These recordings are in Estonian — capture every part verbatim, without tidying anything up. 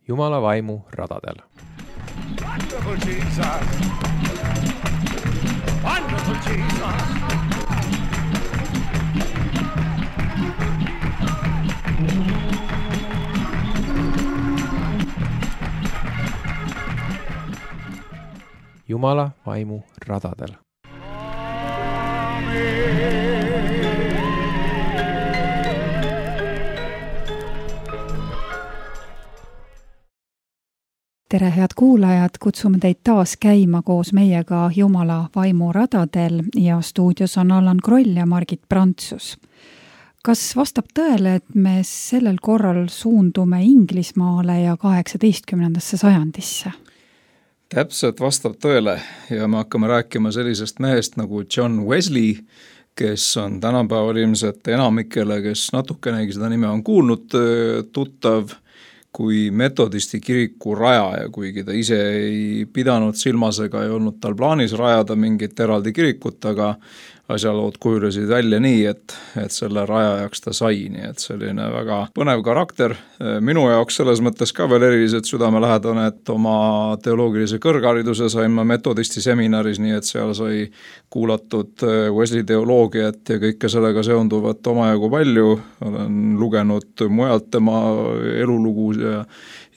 Jumala vaimu radadel. Wonderful Jesus! Wonderful Jesus! Jumala vaimu radadel. Tere, head kuulajad, kutsume teid taas käima koos meiega Jumala vaimu radadel ja stuudios on Allan Kroll ja Margit Prantsus. Kas vastab tõele, et me sellel korral suundume Inglismaale ja kaheksateistkümnendasse sajandisse? Täpselt vastab tõele ja me hakkame rääkima sellisest mehest nagu John Wesley, kes on tänapäeval ilmselt enamikele, kes natukenegi seda nime on kuulnud, tuttav kui metodisti kiriku rajaja, kuigi ta ise ei pidanud silmas ega ei olnud tal plaanis rajada mingit eraldi kirikut, aga asjalood kujulesid välja nii, et, et selle rajajaks ta sai, nii et selline väga põnev karakter. Minu jaoks selles mõttes ka veel eriliselt südamelähedane, et oma teoloogilise kõrghariduse sain ma metodisti seminaris, nii et seal sai kuulatud Wesley teoloogiat ja kõike sellega seonduvat omajagu palju. Olen lugenud mujalt tema elulugu ja,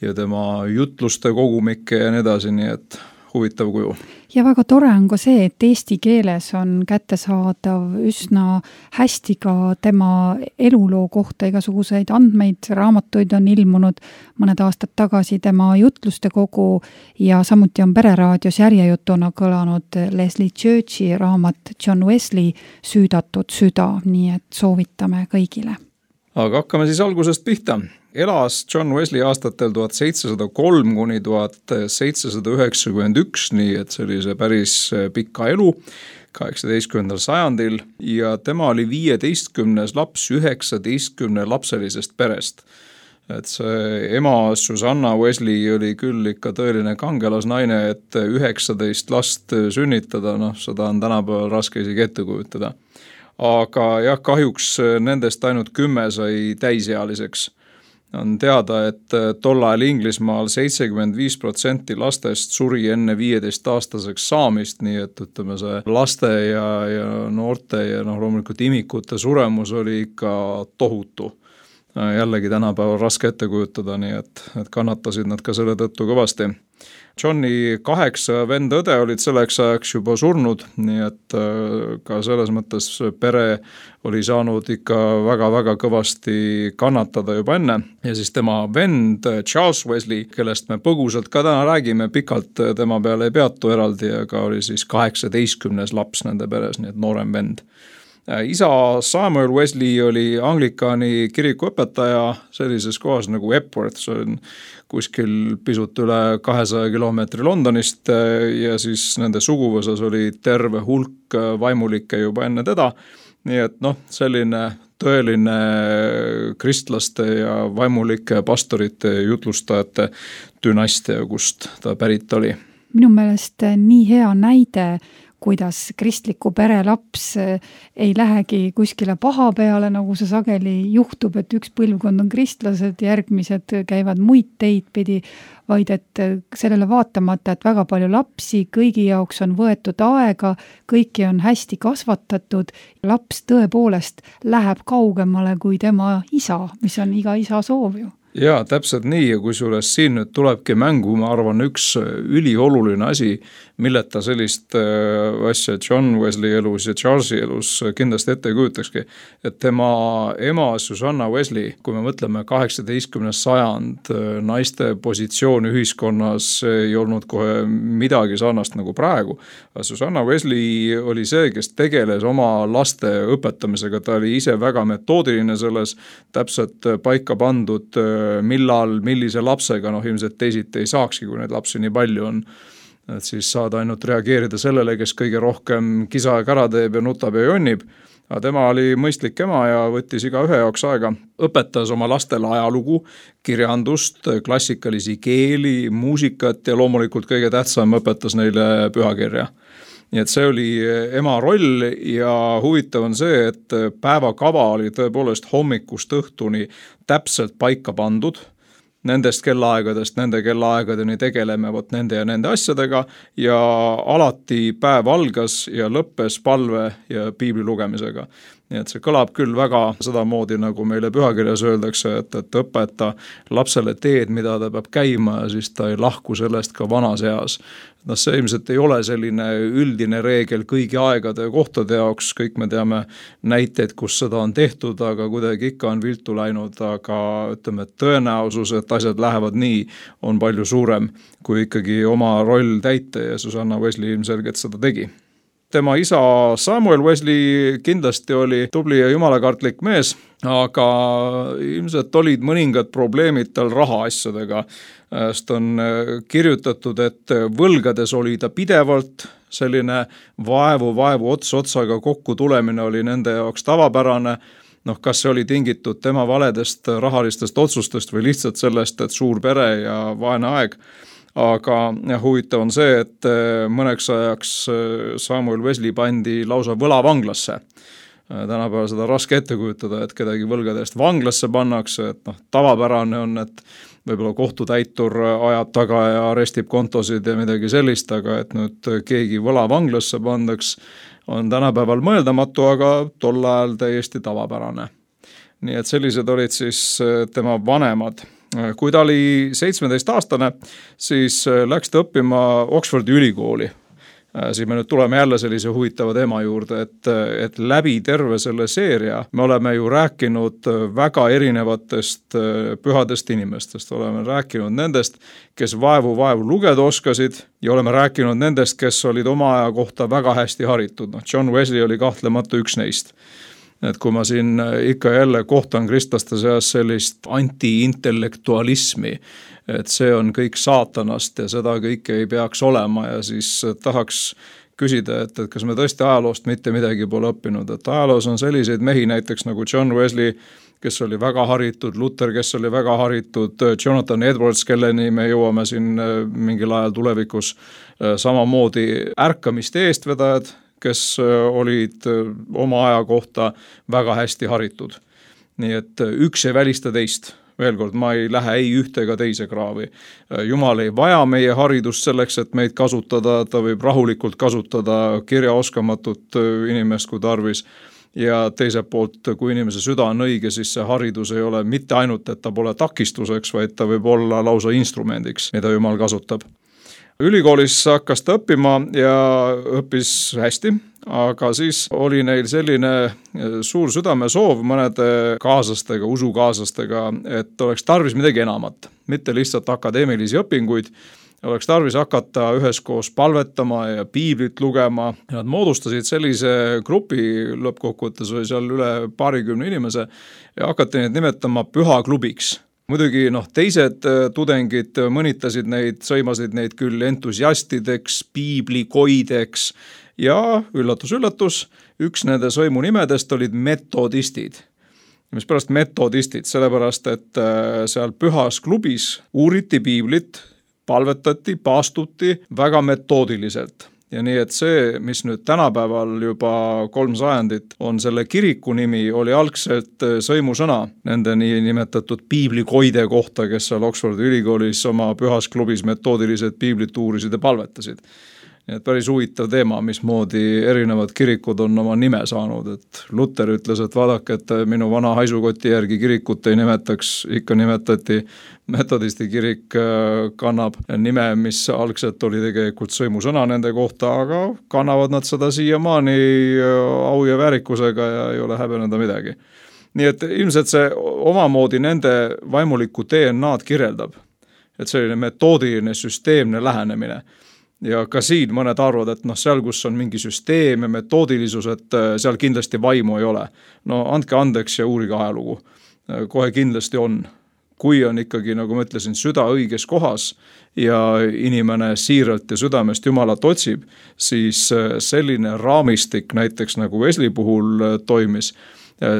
ja tema jutluste kogumikke ja nii edasi, nii et huvitav kuju. Ja väga tore on ka see, et eesti keeles on kättesaadav üsna hästi ka tema eluloo kohta igasuguseid andmeid, raamatuid on ilmunud mõned aastad tagasi tema jutluste kogu ja samuti on Pereraadios järjejutuna kõlanud Leslie Churchi raamat John Wesley Süüdatud süda, nii et soovitame kõigile. Aga hakkame siis algusest pihta. Elas John Wesley aastatel tuhat seitsesada kolm kuni tuhat seitsesada üheksakümmend üks, nii et see oli see päris pika elu kaheksateistkümnendal sajandil ja tema oli viieteistkümnes laps üheksateistkümne lapselisest perest. Et see ema Susanna Wesley oli küll ikka tõeline kangelasnaine, et üheksateist last sünnitada, noh, seda on tänapäeval raske isegi ette kujutada. Aga jah, kahjuks nendest ainult kümme sai täisealiseks. On teada, et tol ajal Inglismaal seitsekümmend viis protsenti lastest suri enne viieteist aastaseks saamist, nii et ütleme see laste ja, ja noorte ja noh, loomulikult imikute suremus oli ikka tohutu. Jällegi tänapäeval raske ette kujutada, nii et, et kannatasid nad ka selle tõttu kõvasti. Johni kaheksa venda õde olid selleks ajaks juba surnud, nii et ka selles mõttes pere oli saanud ikka väga-väga kõvasti kannatada juba enne. Ja siis tema vend Charles Wesley, kellest me põgusalt ka täna räägime, pikalt tema peale ei peatu eraldi, aga oli siis kaheksateistkümnes laps nende peres, nii et noorem vend. Isa Samuel Wesley oli Anglikani kirikuõpetaja sellises kohas nagu Epworth, see on kuskil pisut üle kahesaja kilomeetri Londonist ja siis nende suguvõsas oli terve hulk vaimulikke juba enne teda. Nii et noh, selline tõeline kristlaste ja vaimulike pastorite jutlustajate dünastia, kust ta pärit oli. Minu meelest nii hea näide, kuidas kristliku pere laps ei lähegi kuskile paha peale, nagu see sageli juhtub, et üks põlvkond on kristlased, järgmised käivad muid teid pidi, vaid et sellele vaatamata, et väga palju lapsi, kõigi jaoks on võetud aega, kõiki on hästi kasvatatud, laps tõepoolest läheb kaugemale kui tema isa, mis on iga isa soov ju. Jaa, täpselt nii ja kusjuures siin nüüd tulebki mängu, ma arvan, üks ülioluline asi, milleta sellist asja John Wesley elus ja Charlesi elus kindlasti ette kujutakski, et tema ema Susanna Wesley, kui me mõtleme kaheksateistkümnes sajand, naiste positsioon ühiskonnas ei olnud kohe midagi sarnast nagu praegu. Susanna Wesley oli see, kes tegeles oma laste õpetamisega, ta oli ise väga metoodiline selles, täpselt paika pandud millal, millise lapsega, noh ilmselt teisiti ei saakski, kui neid lapsi nii palju on, et siis saad ainult reageerida sellele, kes kõige rohkem kisa ja kära teeb ja nutab ja jonnib. Aga tema oli mõistlik ema ja võttis iga ühe jaoks aega, õpetas oma lastele ajalugu, kirjandust, klassikalisi keeli, muusikat ja loomulikult kõige tähtsam õpetas neile pühakirja. Nii et see oli ema roll ja huvitav on see, et päevakava oli tõepoolest hommikust õhtuni täpselt paika pandud. nendest kellaaegadest, nende kellaaegadeni tegeleme vot nende ja nende asjadega ja alati päev algas ja lõppes palve ja piibli lugemisega. Nii et see kõlab küll väga sedamoodi, nagu meile pühakirjas öeldakse, et, et õpeta lapsele teed, mida ta peab käima ja siis ta ei lahku sellest ka vanas eas. No see ilmselt ei ole selline üldine reegel kõigi aegade ja kohtade jaoks, kõik me teame näiteid, kus seda on tehtud, aga kuidagi ikka on viltu läinud, aga ütleme, et tõenäosus, et asjad lähevad nii, on palju suurem, kui ikkagi oma roll täita ja Susanna Wesley ilmselgelt seda tegi. Tema isa Samuel Wesley kindlasti oli tubli ja jumalakartlik mees, aga ilmselt olid mõningad probleemid tal rahaasjadega. Sest on kirjutatud, et võlgades oli ta pidevalt, selline vaevu, vaevu ots otsaga kokku tulemine oli nende jaoks tavapärane. Noh, kas see oli tingitud tema valedest rahalistest otsustest või lihtsalt sellest, et suur pere ja vaene aeg. Aga huvitav on see, et mõneks ajaks Samuel Wesley pandi lausa võlavanglasse. Tänapäeval seda raske ette kujutada, et kedagi võlgadest vanglasse pannakse, et noh, tavapärane on, et võib-olla kohtutäitur ajab taga ja arestib kontosid ja midagi sellist, aga et nüüd keegi võlavanglasse pandaks, on tänapäeval mõeldamatu, aga tol ajal täiesti tavapärane. Nii et sellised olid siis tema vanemad. Kui ta oli seitsmeteist aastane, siis läks ta õppima Oxfordi ülikooli. Siis me nüüd tuleme jälle sellise huvitava teema juurde, et, et läbi terve selle seeria me oleme ju rääkinud väga erinevatest pühadest inimestest. Oleme rääkinud nendest, kes vaevu vaevu lugeda oskasid ja oleme rääkinud nendest, kes olid oma aja kohta väga hästi haritud. No, John Wesley oli kahtlemata üks neist. Et kui ma siin ikka jälle kohtan kristlaste seas sellist anti-intellektualismi, et see on kõik saatanast ja seda kõike ei peaks olema ja siis tahaks küsida, et, et kas me tõesti ajaloost mitte midagi pole õppinud, et ajaloos on selliseid mehi näiteks nagu John Wesley, kes oli väga haritud, Luther, kes oli väga haritud, Jonathan Edwards, kelleni me jõuame siin mingil ajal tulevikus, samamoodi ärkamiste eestvedajad, kes olid oma aja kohta väga hästi haritud. Nii et üks ei välista teist. Veel kord, ma ei lähe ei ühte ega teise kraavi. Jumal ei vaja meie haridust selleks, et meid kasutada, ta võib rahulikult kasutada kirjaoskamatut inimest kui tarvis. Ja teiselt poolt, kui inimese süda on õige, siis see haridus ei ole mitte ainult, et ta pole takistuseks, vaid ta võib olla lausa instrumendiks, mida Jumal kasutab. Ülikoolis hakkas ta õppima ja õppis hästi, aga siis oli neil selline suur südamesoov mõnede kaaslastega, usukaaslastega, et oleks tarvis midagi enamat, mitte lihtsalt akadeemilisi õpinguid, oleks tarvis hakata üheskoos palvetama ja piiblit lugema. Nad moodustasid sellise grupi, lõppkokkuvõttes oli seal üle paarikümne inimese ja hakati neid nimetama pühaklubiks. Muidugi noh, teised tudengid mõnitasid neid, sõimasid neid küll entusiastideks, piiblikoideks ja üllatus, üllatus, üks nende sõimu nimedest olid metodistid. Mis pärast metodistid, sellepärast, et seal pühas klubis uuriti piiblit, palvetati, paastuti väga metoodiliselt. Ja nii, et see, mis nüüd tänapäeval juba kolm sajandit on selle kiriku nimi, oli algselt sõimusõna nende nii nimetatud piiblikoide kohta, kes seal Oxfordi ülikoolis oma pühas klubis metoodiliselt piiblit uurisid ja palvetasid. Nii et päris huvitav teema, mismoodi erinevad kirikud on oma nime saanud, et Luther ütles, et vaadake, et minu vana haisukoti järgi kirikut ei nimetaks, ikka nimetati metodisti kirik kannab nime, mis algselt oli tegelikult sõimusõna nende kohta, aga kannavad nad seda siiamaani au ja väärikusega ja ei ole häbeneda midagi. Nii et ilmselt see omamoodi nende vaimulikku D N A-d kirjeldab, et selline metoodiline, süsteemne lähenemine. Ja ka siin mõned arvad, et noh, seal, kus on mingi süsteem ja metoodilisus, et seal kindlasti vaimu ei ole. No andke andeks ja uurige ajalugu. Kohe kindlasti on. Kui on ikkagi, nagu ma ütlesin, süda õiges kohas ja inimene siiralt ja südamest Jumalat otsib, siis selline raamistik näiteks nagu Wesley puhul toimis,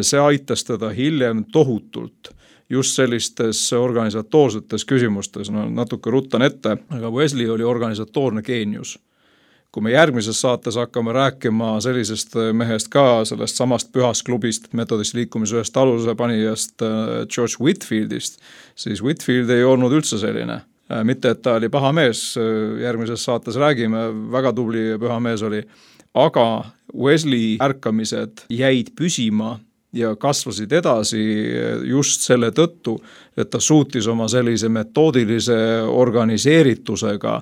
see aitas teda hiljem tohutult just sellistes organisatoorsetes küsimustes, no natuke ruttan ette, aga Wesley oli organisatoorne geenius. kui me järgmises saates hakkame rääkima sellisest mehest ka, sellest samast pühast klubist, metodist liikumise ühest aluse panijast George Whitfieldist, siis Whitfield ei olnud üldse selline. Mitte, et ta oli paha mees, järgmises saates räägime, väga tubli ja püha mees oli, aga Wesley ärkamised jäid püsima ja kasvasid edasi just selle tõttu, et ta suutis oma sellise metoodilise organiseeritusega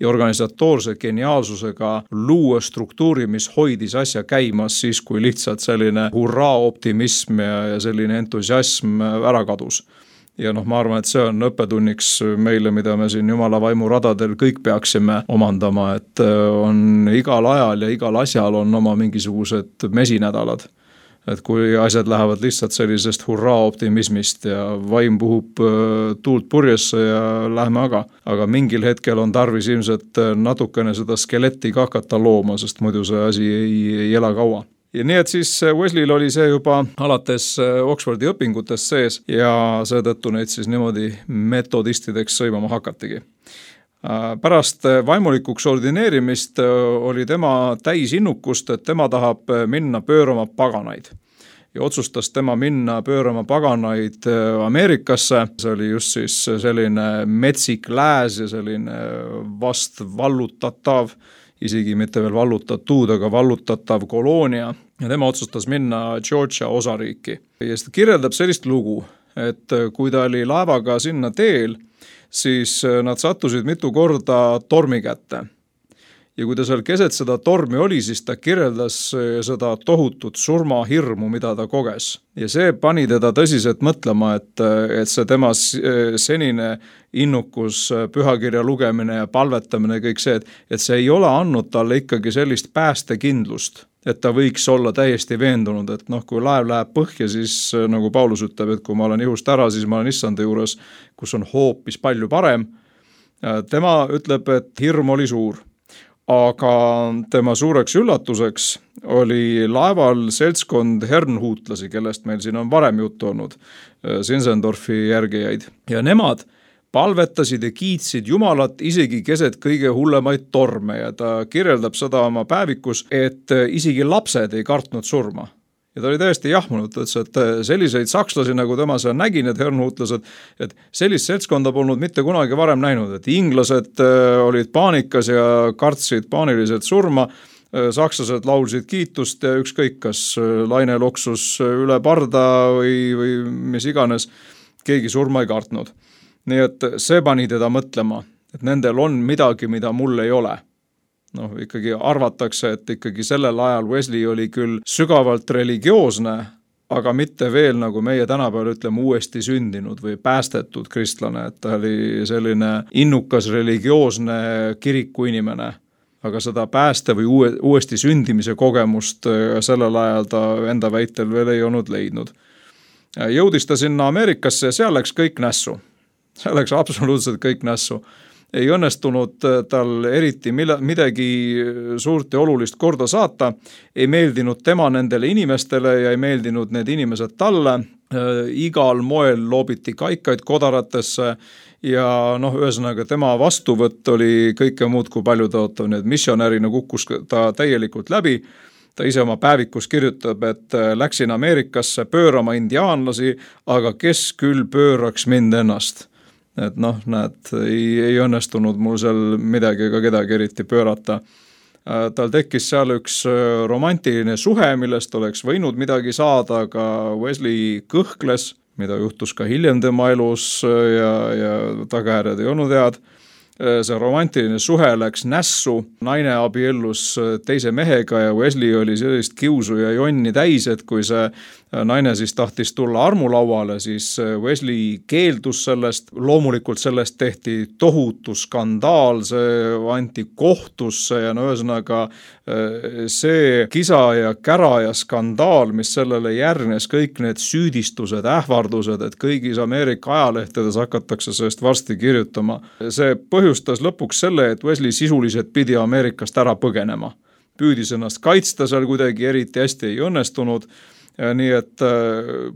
ja organisatoorse geniaalsusega luua struktuuri, mis hoidis asja käimas siis, kui lihtsalt selline hurraa optimism ja, ja selline entusiasm ära kadus. Ja noh, ma arvan, et see on õppetunniks meile, mida me siin Jumala vaimu radadel kõik peaksime omandama, et on igal ajal ja igal asjal on oma mingisugused mesinädalad. Et kui asjad lähevad lihtsalt sellisest hurraa optimismist ja vaim puhub tuult purjesse ja lähme aga. Aga mingil hetkel on tarvis ilmselt natukene seda skeletti ka hakata looma, sest muidu see asi ei, ei ela kaua. Ja nii, et siis Wesleyl oli see juba alates Oxfordi õpingutest sees ja seetõttu neid siis niimoodi metodistideks sõimama hakatigi. Pärast vaimulikuks ordineerimist oli tema täis innukust, et tema tahab minna pöörama paganaid. Ja otsustas tema minna pöörama paganaid Ameerikasse. See oli just siis selline metsik lääs ja selline vast vallutatav, isegi mitte veel vallutatud, aga vallutatav koloonia. Ja tema otsustas minna Georgia osariiki. Ja seda kirjeldab sellist lugu, et kui ta oli laevaga sinna teel, siis nad sattusid mitu korda tormi kätte. Ja kui ta seal keset seda tormi oli, siis ta kirjeldas seda tohutut surmahirmu, mida ta koges. Ja see pani teda tõsiselt mõtlema, et, et see tema senine innukus, pühakirja lugemine ja palvetamine ja kõik see, et, et see ei ole andnud talle ikkagi sellist päästekindlust, et ta võiks olla täiesti veendunud, et noh, kui laev läheb põhja, siis nagu Paulus ütleb, et kui ma olen ihust ära, siis ma olen issanda juures, kus on hoopis palju parem. Tema ütleb, et hirm oli suur, aga tema suureks üllatuseks oli laeval seltskond hernhuutlasi, kellest meil siin on varem juttu olnud, Sinsendorfi järgijaid. Ja nemad palvetasid ja kiitsid Jumalat isegi keset kõige hullemaid torme ja ta kirjeldab seda oma päevikus, et isegi lapsed ei kartnud surma. Ja ta oli täiesti jahmunud, et selliseid sakslasi, nagu tema seal nägi, need hernhuutlased, et sellist seltskonda polnud mitte kunagi varem näinud, et inglased olid paanikas ja kartsid paaniliselt surma, sakslased laulsid kiitust ja ükskõik, kas laine loksus üle parda või, või mis iganes, keegi surma ei kartnud. Nii et see pani teda mõtlema, et nendel on midagi, mida mul ei ole. Noh, ikkagi arvatakse, et ikkagi sellel ajal Wesley oli küll sügavalt religioosne, aga mitte veel, nagu meie tänapäeval ütleme, uuesti sündinud või päästetud kristlane, et ta oli selline innukas religioosne kiriku inimene, aga seda pääste või uue, uuesti sündimise kogemust sellel ajal ta enda väitel veel ei olnud leidnud. Jõudis ta sinna Ameerikasse ja seal läks kõik nässu. Seal läks absoluutselt kõik nässu. Ei õnnestunud tal eriti midagi suurt ja olulist korda saata, ei meeldinud tema nendele inimestele ja ei meeldinud need inimesed talle, igal moel loobiti kaikaid kodaratesse ja noh, ühesõnaga tema vastuvõtt oli kõike muud kui palju tõotav, nii et missionärina kukkus ta täielikult läbi. Ta ise oma päevikus kirjutab, et läksin Ameerikasse pöörama indiaanlasi, aga kes küll pööraks mind ennast. Et noh, näed, ei, ei õnnestunud mul seal midagi ega kedagi eriti pöörata. Tal tekkis seal üks romantiline suhe, millest oleks võinud midagi saada, aga Wesley kõhkles, mida juhtus ka hiljem tema elus ja, ja tagajärjed ei olnud head. See romantiline suhe läks nässu, naine abiellus teise mehega ja Wesley oli sellist kiusu ja jonni täis, et kui see naine siis tahtis tulla armulauale, siis Wesley keeldus sellest, loomulikult sellest tehti tohutu skandaal, see anti kohtusse ja no ühesõnaga see kisa ja kära ja skandaal, mis sellele järgnes, kõik need süüdistused, ähvardused, et kõigis Ameerika ajalehtedes hakatakse sellest varsti kirjutama. See põhjustas lõpuks selle, et Wesley sisuliselt pidi Ameerikast ära põgenema. Püüdis ennast kaitsta seal kuidagi, eriti hästi ei õnnestunud, nii et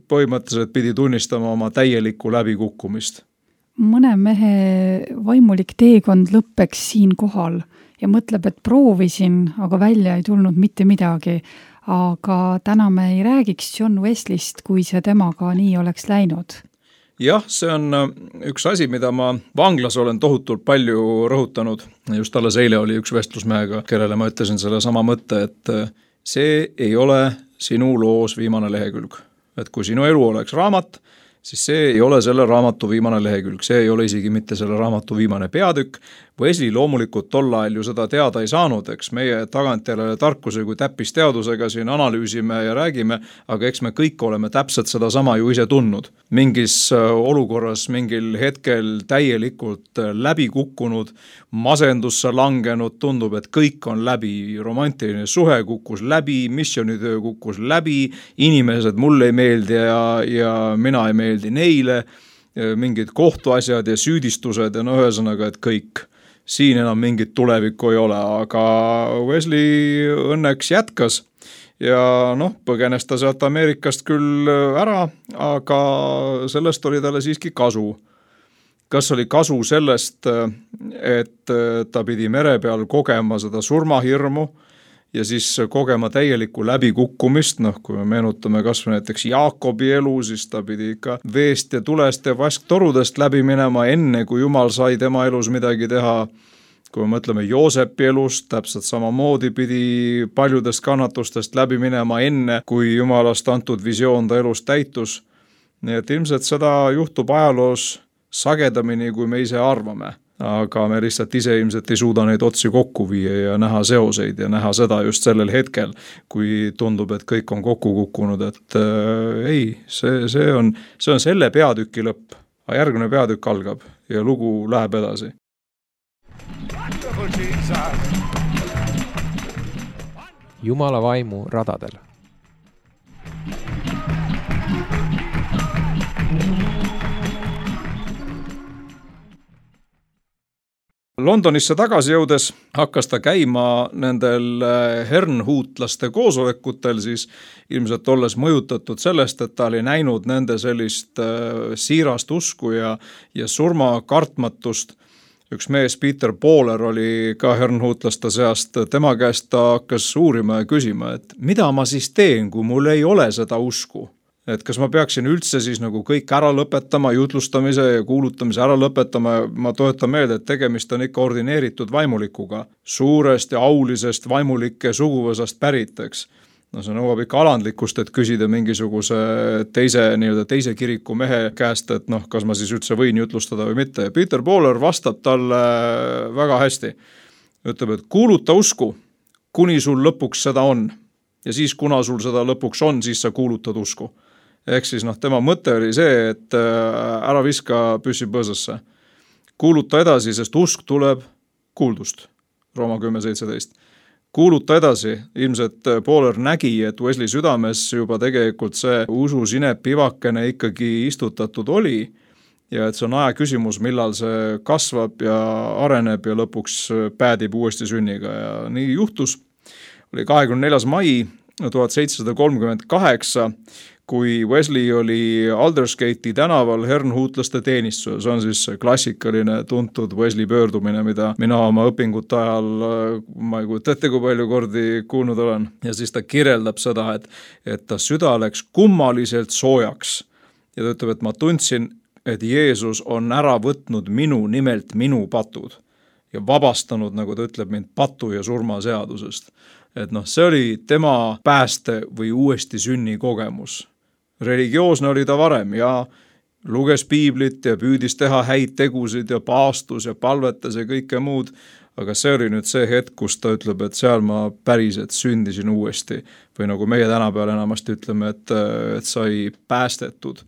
põhimõtteliselt pidi tunnistama oma täielikku läbikukkumist. mõne mehe vaimulik teekond lõppeks siin kohal ja mõtleb, et proovisin, aga välja ei tulnud mitte midagi. Aga täna me ei räägiks John Wesleyst, kui see temaga nii oleks läinud. Jah, see on üks asi, mida ma vanglas olen tohutult palju rõhutanud. Just alles eile oli üks vestlusmehega, kellele ma ütlesin selle sama mõtte, et see ei ole sinu loos viimane lehekülg. Et kui sinu elu oleks raamat, siis see ei ole selle raamatu viimane lehekülg, see ei ole isegi mitte selle raamatu viimane peatükk. Wesley loomulikult tol ajal ju seda teada ei saanud, eks meie tagantjärele tarkuse kui täppisteadusega siin analüüsime ja räägime, aga eks me kõik oleme täpselt seda sama ju ise tundnud. Mingis olukorras, mingil hetkel täielikult läbi kukkunud, masendusse langenud, tundub, et kõik on läbi, romantiline suhe kukkus läbi, missionitöö kukkus läbi, inimesed mulle ei meeldi ja, ja mina ei meeldi neile, mingid kohtuasjad ja süüdistused ja no ühesõnaga, et kõik. Siin enam mingit tulevikku ei ole, aga Wesley õnneks jätkas ja noh, põgenes ta sealt Ameerikast küll ära, aga sellest oli talle siiski kasu. Kas oli kasu sellest, et ta pidi mere peal kogema seda surmahirmu ja siis kogema täielikku läbikukkumist, noh kui me meenutame kas või näiteks Jaakobi elu, siis ta pidi ikka veest ja tulest ja vasktorudest läbi minema enne, kui Jumal sai tema elus midagi teha. Kui me mõtleme Joosepi elust, täpselt samamoodi pidi paljudest kannatustest läbi minema enne, kui Jumalast antud visioon ta elus täitus. Nii et ilmselt seda juhtub ajaloos sagedamini, kui me ise arvame. Aga me lihtsalt ise ilmselt ei suuda neid otsi kokku viia ja näha seoseid ja näha seda just sellel hetkel, kui tundub, et kõik on kokku kukkunud, et äh, ei, see, see, on, see on selle peatüki lõpp, aga järgmine peatükk algab ja lugu läheb edasi. Jumala vaimu radadel. Londonisse tagasi jõudes hakkas ta käima nendel hernhuutlaste koosolekutel, siis ilmselt olles mõjutatud sellest, et ta oli näinud nende sellist siirast usku ja, ja surma kartmatust. Üks mees, Peter Bowler, oli ka hernhuutlaste seast, tema käest ta hakkas uurima ja küsima, et mida ma siis teen, kui mul ei ole seda usku? Et kas ma peaksin üldse siis nagu kõik ära lõpetama, jutlustamise ja kuulutamise ära lõpetama, ma toetan meelde, et tegemist on ikka ordineeritud vaimulikuga, suurest ja aulisest vaimulike suguvõsast päriteks. No see nõuab ikka alandlikkust, et küsida mingisuguse teise, nii-öelda teise kiriku mehe käest, et noh, kas ma siis üldse võin jutlustada või mitte. Peter Bowler vastab talle väga hästi. Ütleb, et kuuluta usku, kuni sul lõpuks seda on. Ja siis, kuna sul seda lõpuks on, siis sa kuulutad usku. Ehk siis noh, tema mõte oli see, et ära viska püssi põõsasse. Kuuluta edasi, sest usk tuleb kuuldust. Rooma kümme seitseteist. Kuuluta edasi, ilmselt Bowler nägi, et Wesley südames juba tegelikult see usu sinep pivakene ikkagi istutatud oli ja et see on aja küsimus, millal see kasvab ja areneb ja lõpuks päädib uuesti sünniga ja nii juhtus. Oli kahekümne neljas mai tuhat seitsesada kolmkümmend kaheksa, kui Wesley oli Aldersgate'i tänaval hernhuutlaste teenistuses. See on siis klassikaline tuntud Wesley pöördumine, mida mina oma õpingute ajal, ma ei kujuta ette, kui palju kordi kuulnud olen. Ja siis ta kirjeldab seda, et, et ta süda läks kummaliselt soojaks. Ja ta ütleb, et ma tundsin, et Jeesus on ära võtnud minu nimelt minu patud ja vabastanud, nagu ta ütleb, mind patu ja surma seadusest. Et noh, see oli tema pääste või uuesti sünni kogemus. Religioosne oli ta varem ja luges piiblit ja püüdis teha häid tegusid ja paastus ja palvetas ja kõike muud, aga see oli nüüd see hetk, kus ta ütleb, et seal ma päriselt sündisin uuesti või nagu meie tänapäeval enamasti ütleme, et, et sai päästetud.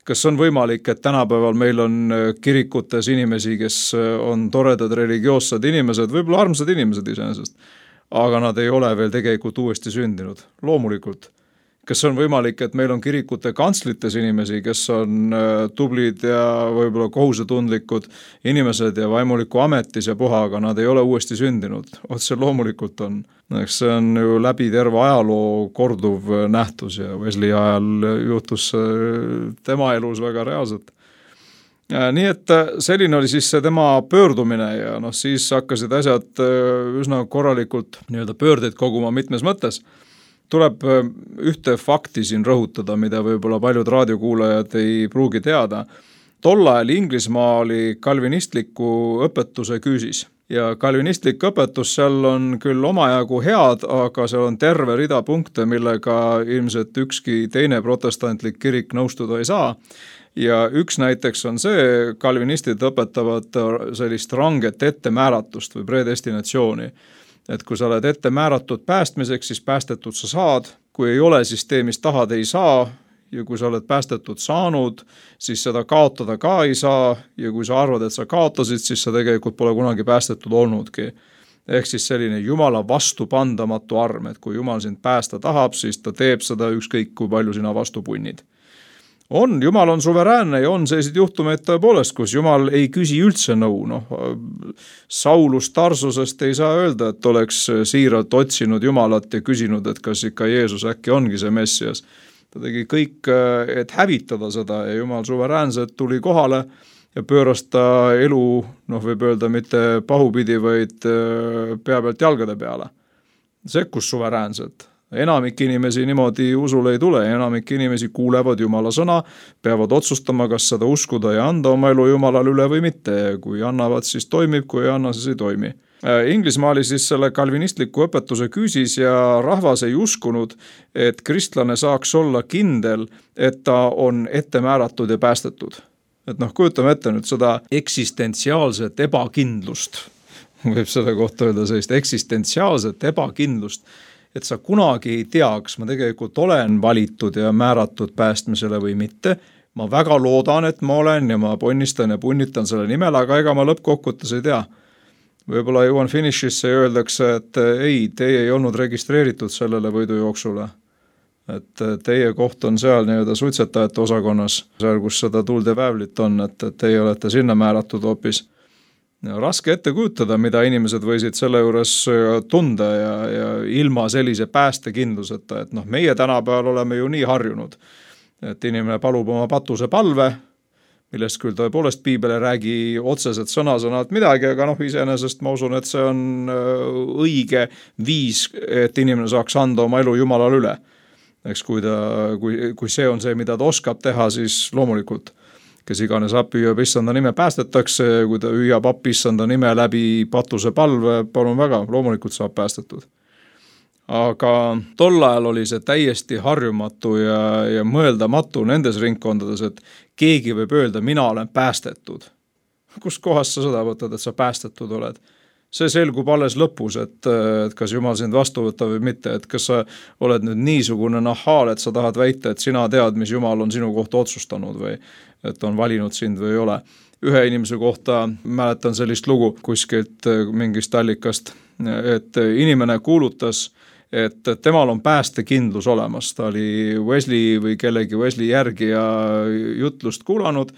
Kas on võimalik, et tänapäeval meil on kirikutes inimesi, kes on toredad religioossed inimesed, võib-olla armsad inimesed iseenesest, aga nad ei ole veel tegelikult uuesti sündinud, loomulikult. Kas on võimalik, et meil on kirikute kantslites inimesi, kes on tublid ja võib-olla kohusetundlikud inimesed ja vaimuliku ametis ja puha, aga nad ei ole uuesti sündinud. Otse loomulikult on. See on ju läbi terve ajaloo korduv nähtus ja Wesley ajal juhtus tema elus väga reaalselt. Nii et selline oli siis see tema pöördumine ja noh, siis hakkasid asjad üsna korralikult nii-öelda pöördeid koguma mitmes mõttes. Tuleb ühte fakti siin rõhutada, mida võib-olla paljud raadiokuulajad ei pruugi teada. Tol ajal Inglismaa oli kalvinistliku õpetuse küüsis ja kalvinistlik õpetus seal on küll omajagu head, aga seal on terve rida punkte, millega ilmselt ükski teine protestantlik kirik nõustuda ei saa. Ja üks näiteks on see, kalvinistid õpetavad sellist ranget ettemääratust või predestinatsiooni. Et kui sa oled ette määratud päästmiseks, siis päästetud sa saad. Kui ei ole, siis tee, mis tahad, ei saa. Ja kui sa oled päästetud saanud, siis seda kaotada ka ei saa. Ja kui sa arvad, et sa kaotasid, siis sa tegelikult pole kunagi päästetud olnudki. Ehk siis selline Jumala vastupandamatu arm, et kui Jumal sind päästa tahab, siis ta teeb seda ükskõik, kui palju sina vastu punnid. On, Jumal on suveräänne ja on selliseid juhtumeid tõepoolest, kus Jumal ei küsi üldse nõu. No, Saulus Tarsusest ei saa öelda, et oleks siiralt otsinud Jumalat ja küsinud, et kas ikka Jeesus äkki ongi see Messias. Ta tegi kõik, et hävitada seda ja Jumal suveräänselt tuli kohale ja pööras ta elu, noh võib öelda mitte pahupidi, vaid pea pealt jalgade peale. Sekkus suveräänselt. Enamik inimesi niimoodi usule ei tule, enamik inimesi kuulevad Jumala sõna, peavad otsustama, kas seda uskuda ja anda oma elu Jumalale üle või mitte. Kui annavad, siis toimib, kui ei anna, siis ei toimi. Inglismaa oli siis selle kalvinistliku õpetuse küüsis ja rahvas ei uskunud, et kristlane saaks olla kindel, et ta on ette määratud ja päästetud. Et noh, kujutame ette nüüd seda eksistentsiaalset ebakindlust, võib selle kohta öelda sellist eksistentsiaalset ebakindlust, et sa kunagi ei tea, kas ma tegelikult olen valitud ja määratud päästmisele või mitte. Ma väga loodan, et ma olen ja ma ponnistan ja punnitan selle nimel, aga ega ma lõppkokkutes ei tea. Võib-olla jõuan finišisse ja öeldakse, et ei, teie ei olnud registreeritud sellele võidujooksule. Et teie koht on seal nii-öelda suitsetajate osakonnas, seal kus seda tuld ja väävlit on, et teie olete sinna määratud hoopis. Raske ette kujutada, mida inimesed võisid selle juures tunda ja, ja ilma sellise päästekindluseta, et noh, meie tänapäeval oleme ju nii harjunud, et inimene palub oma patuse palve, millest küll tõepoolest piibel ei räägi otseselt sõna-sõnalt midagi, aga noh, iseenesest ma usun, et see on õige viis, et inimene saaks anda oma elu Jumalale üle. Eks kui, ta, kui, kui see on see, mida ta oskab teha, siis loomulikult kes iganes appi hüüab issanda nime päästetakse, kui ta hüüab appi issanda nime läbi patuse palve, palun väga, loomulikult saab päästetud. Aga tol ajal oli see täiesti harjumatu ja, ja mõeldamatu nendes ringkondades, et keegi võib öelda, mina olen päästetud. Kus kohast sa seda võtad, et sa päästetud oled? See selgub alles lõpus, et, et kas Jumal sind vastu võtta või mitte, et kas sa oled nüüd niisugune nahaal, et sa tahad väita, et sina tead, mis Jumal on sinu kohta otsustanud või et on valinud sind või ei ole. Ühe inimese kohta mäletan sellist lugu kuskilt mingist allikast, et inimene kuulutas, et temal on päästekindlus olemas. Ta oli Wesley või kellegi Wesley järgi ja jutlust kuulanud,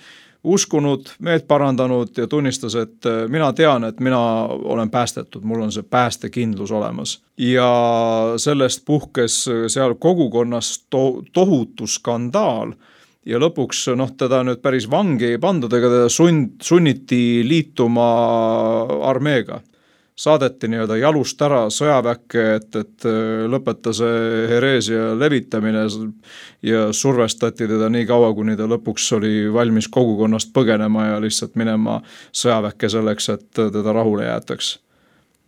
uskunud, meelt parandanud ja tunnistas, et mina tean, et mina olen päästetud, mul on see päästekindlus olemas. Ja sellest puhkes seal kogukonnas to- tohutu skandaal ja lõpuks noh, teda nüüd päris vangi ei pandud, ega teda sund, sunniti liituma armeega. Saadeti nii-öelda jalust ära sõjaväkke, et, et lõpeta see hereesia levitamine ja survestati teda nii kaua, kuni ta lõpuks oli valmis kogukonnast põgenema ja lihtsalt minema sõjaväkke selleks, et teda rahule jäetaks.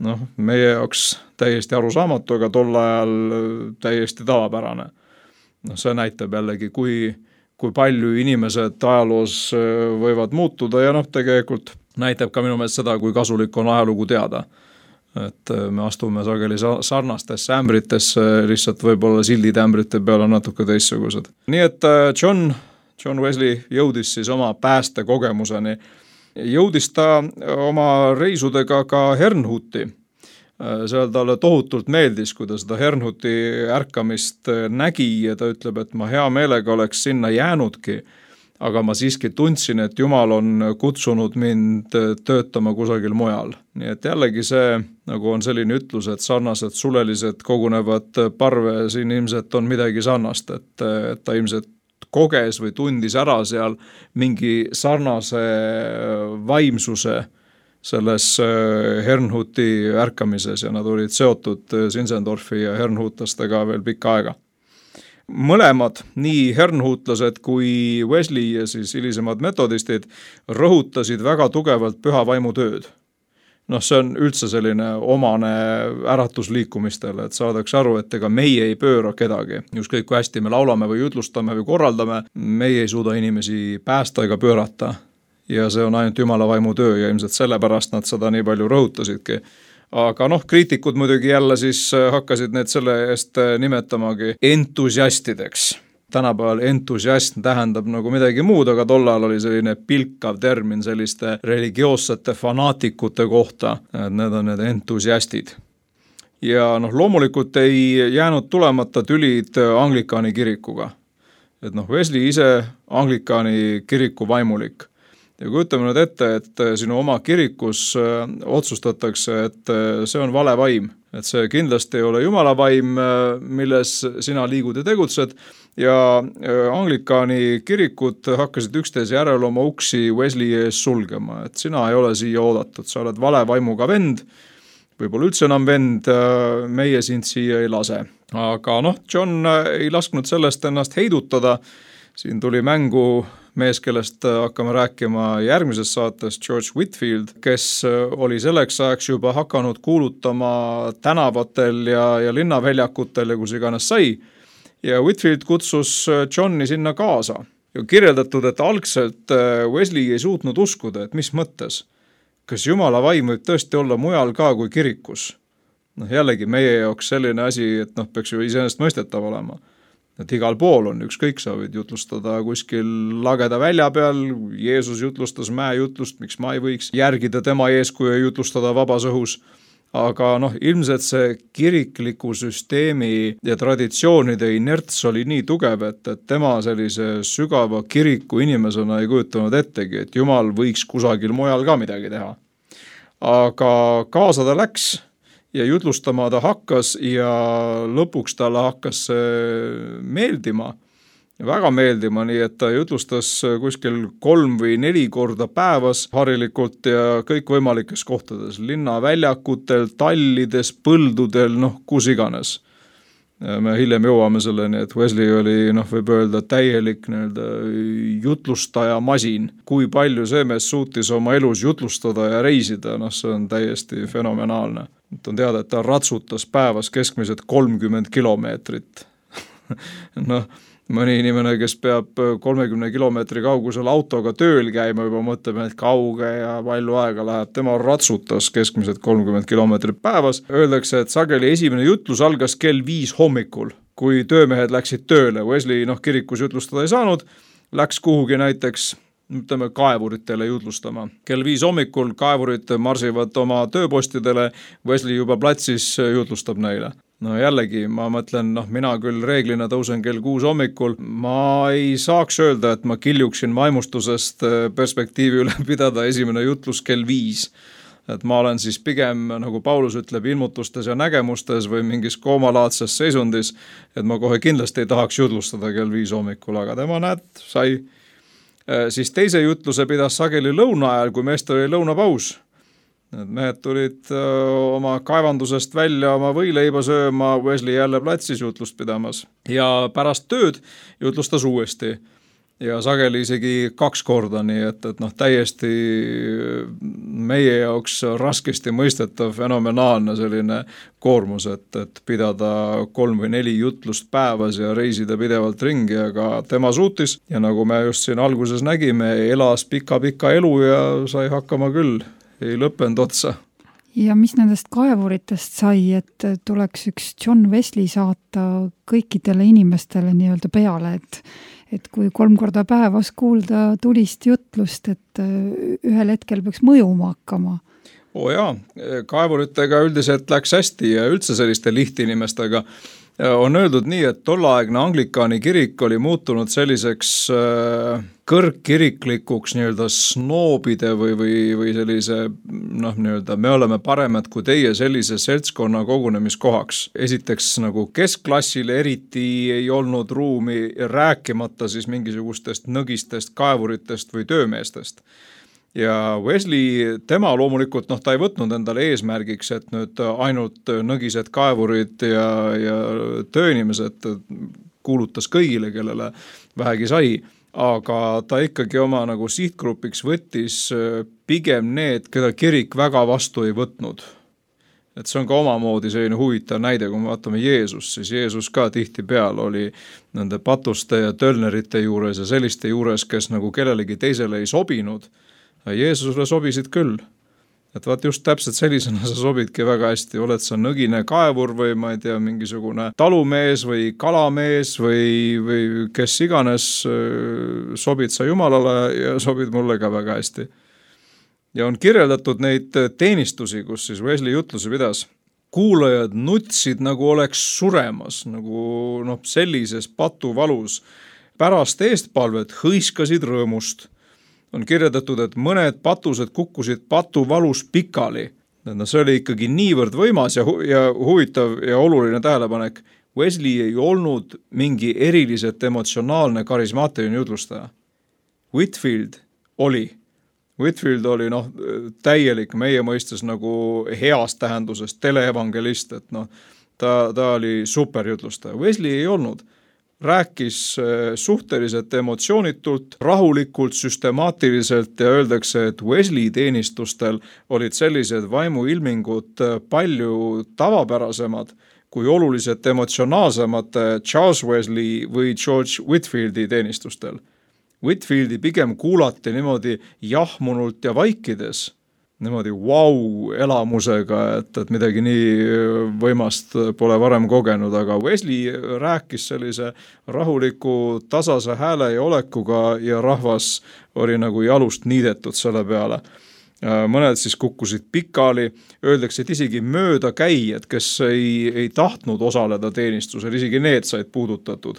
Noh, meie jaoks täiesti arusaamatu, aga tol ajal täiesti tavapärane. No, see näitab jällegi, kui, kui palju inimesed ajaloos võivad muutuda ja noh, tegelikult näitab ka minu meelest seda, kui kasulik on ajalugu teada. Et me astume sageli sarnastesse ämbritesse, lihtsalt võib-olla sildid ämbrite peal on natuke teistsugused. Nii et John, John Wesley jõudis siis oma pääste kogemuseni. Jõudis ta oma reisudega ka Herrnhuti. Seal talle tohutult meeldis, kui ta seda Herrnhuti ärkamist nägi ja ta ütleb, et ma hea meelega oleks sinna jäänudki, aga ma siiski tundsin, et Jumal on kutsunud mind töötama kusagil mujal. Nii et jällegi see, nagu on selline ütlus, et sarnased sulelised kogunevad parve, siin ilmselt on midagi sarnast, et, et ta ilmselt koges või tundis ära seal mingi sarnase vaimsuse selles Herrnhuti ärkamises ja nad olid seotud Zinzendorfi ja Herrnhutlastega veel pikka aega. Mõlemad, nii Herrnhutlased kui Wesley ja siis hilisemad metodistid rõhutasid väga tugevalt püha vaimu tööd. Noh, see on üldse selline omane äratusliikumistele, et saadaks aru, et ega meie ei pööra kedagi. Just kõik, kui hästi me laulame või jutlustame või korraldame, meie ei suuda inimesi päästa ega pöörata. Ja see on ainult Jumala vaimu töö ja ilmselt sellepärast nad seda nii palju rõhutasidki. Aga noh, kriitikud muidugi jälle siis hakkasid need selle eest nimetamagi entusiastideks. Tänapäeval entusiasm tähendab nagu midagi muud, aga tollal oli selline pilkav termin selliste religioossete fanaatikute kohta, et need on need entusiastid. Ja noh, loomulikult ei jäänud tulemata tülid Anglikaani kirikuga. Et noh, Wesley ise Anglikaani kiriku vaimulik. Ja kujutame nüüd ette, et sinu oma kirikus otsustatakse, et see on vale vaim. Et see kindlasti ei ole Jumala vaim, milles sina liigud ja tegutsed. Ja Anglikaani kirikud hakkasid üksteise järel oma uksi Wesley ees sulgema. Et sina ei ole siia oodatud, sa oled vale vaimuga vend, võib-olla üldse enam vend, meie sind siia ei lase. Aga noh, John ei lasknud sellest ennast heidutada. Siin tuli mängu mees, kellest hakkame rääkima järgmises saates, George Whitfield, kes oli selleks ajaks juba hakanud kuulutama tänavatel ja, ja linnaväljakutel ja kus iganes sai. Ja Whitfield kutsus Johni sinna kaasa. Ja kirjeldatud, et algselt Wesley ei suutnud uskuda, et mis mõttes. Kas Jumala vaim võib tõesti olla mujal ka kui kirikus? Noh, jällegi meie jaoks selline asi, et noh, peaks ju iseenesest mõistetav olema. Et igal pool on ükskõik, sa võid jutlustada kuskil lageda välja peal, Jeesus jutlustas mäejutlust, miks ma ei võiks järgida tema eeskuju ja jutlustada vabas õhus. Aga noh, ilmselt see kirikliku süsteemi ja traditsioonide inerts oli nii tugev, et, et tema sellise sügava kiriku inimesena ei kujutanud ettegi, et Jumal võiks kusagil mujal ka midagi teha. Aga kaasa ta läks ja jutlustama ta hakkas ja lõpuks talle hakkas meeldima, väga meeldima, nii et ta jutlustas kuskil kolm või neli korda päevas harilikult ja kõik võimalikes kohtades, linnaväljakutel, tallides, põldudel, noh, kus iganes. Me hiljem jõuame selleni, et Wesley oli, noh, võib öelda täielik nii-öelda jutlustaja masin. Kui palju see mees suutis oma elus jutlustada ja reisida, noh, see on täiesti fenomenaalne. On teada, et ta ratsutas päevas keskmiselt kolmkümmend kilomeetrit. noh, mõni inimene, kes peab kolmekümne kilomeetri kaugusel autoga tööl käima, juba mõtleme, et kauge ja palju aega läheb. Tema ratsutas keskmiselt kolmkümmend kilomeetrit päevas. Öeldakse, et sageli esimene jutlus algas kell viis hommikul, kui töömehed läksid tööle. Wesley noh, kirikus jutlustada ei saanud, läks kuhugi näiteks ütleme kaevuritele jutlustama. Kell viis hommikul kaevurid marsivad oma tööpostidele, Wesley juba platsis jutlustab neile. No jällegi, ma mõtlen, noh, mina küll reeglina tõusen kell kuus hommikul, ma ei saaks öelda, et ma kiljuksin vaimustusest perspektiivi üle pidada esimene jutlus kell viis. Et ma olen siis pigem, nagu Paulus ütleb, ilmutustes ja nägemustes või mingis koomalaadses seisundis, et ma kohe kindlasti ei tahaks jutlustada kell viis hommikul, aga tema näed, sai. Siis teise jutluse pidas sageli lõuna ajal, kui meestel oli lõunapaus. Mehed tulid oma kaevandusest välja oma võileiba sööma, Wesley jälle platsis jutlust pidamas. Ja pärast tööd jutlustas uuesti. Ja sageli isegi kaks korda, nii et, et noh, täiesti meie jaoks raskesti mõistetav fenomenaalne selline koormus, et, et pidada kolm või neli jutlust päevas ja reisida pidevalt ringi, aga tema suutis. Ja nagu me just siin alguses nägime, elas pika-pika elu ja sai hakkama küll, ei lõppenud otsa. Ja mis nendest kaevuritest sai, et tuleks üks John Wesley saata kõikidele inimestele nii-öelda peale, et et kui kolm korda päevas kuulda tulist jutlust, et ühel hetkel peaks mõjuma hakkama. Oo jaa, kaevuritega üldiselt läks hästi ja üldse selliste lihtinimestega. on öeldud nii, et tollaegne Anglikaani kirik oli muutunud selliseks kõrgkiriklikuks nii-öelda snoobide või, või, või sellise, noh, nii-öelda me oleme paremad kui teie sellise seltskonna kogunemiskohaks. Esiteks nagu keskklassile eriti ei olnud ruumi, rääkimata siis mingisugustest nõgistest, kaevuritest või töömeestest. Ja Wesley, tema loomulikult, noh, ta ei võtnud endale eesmärgiks, et nüüd ainult nõgised kaevurid ja, ja tööinimesed kuulutas kõigile, kellele vähegi sai, aga ta ikkagi oma nagu sihtgrupiks võttis pigem need, keda kirik väga vastu ei võtnud. Et see on ka omamoodi selline huvitav näide, kui me vaatame Jeesus, siis Jeesus ka tihti peal oli nende patuste ja tölnerite juures ja selliste juures, kes nagu kellelegi teisele ei sobinud. Jeesusele sobisid küll. Et vaat just täpselt sellisena sa sobidki väga hästi. Oled sa nõgine kaevur või ma ei tea, mingisugune talumees või kalamees või, või kes iganes, sobid sa Jumalale ja sobid mulle ka väga hästi. Ja on kirjeldatud neid teenistusi, kus siis Wesley jutlusi pidas. Kuulajad nutsid nagu oleks suremas, nagu noh, sellises patuvalus. Pärast eestpalvet hõiskasid rõõmust. On kirjeldatud, et mõned patused kukkusid patuvalus pikali. No, see oli ikkagi niivõrd võimas ja, hu- ja huvitav ja oluline tähelepanek. Wesley ei olnud mingi eriliselt emotsionaalne karismaatiline jutlustaja. Whitfield oli. Whitfield oli noh, täielik meie mõistes nagu heast tähendusest teleevangelist, et noh, ta, ta oli superjutlustaja. Wesley ei olnud. Rääkis suhteliselt emotsioonitult, rahulikult, süstemaatiliselt ja öeldakse, et Wesley teenistustel olid sellised vaimuilmingud palju tavapärasemad kui oluliselt emotsionaalsemad Charles Wesley või George Whitfieldi teenistustel. Whitfieldi pigem kuulati niimoodi jahmunult ja vaikides, niimoodi vau elamusega, et, et midagi nii võimast pole varem kogenud, aga Wesley rääkis sellise rahuliku tasase hääle ja olekuga ja rahvas oli nagu jalust niidetud selle peale. Mõned siis kukkusid pikali, öeldakse, et isegi mööda käijad, kes ei, ei tahtnud osaleda teenistusel, isegi need said puudutatud.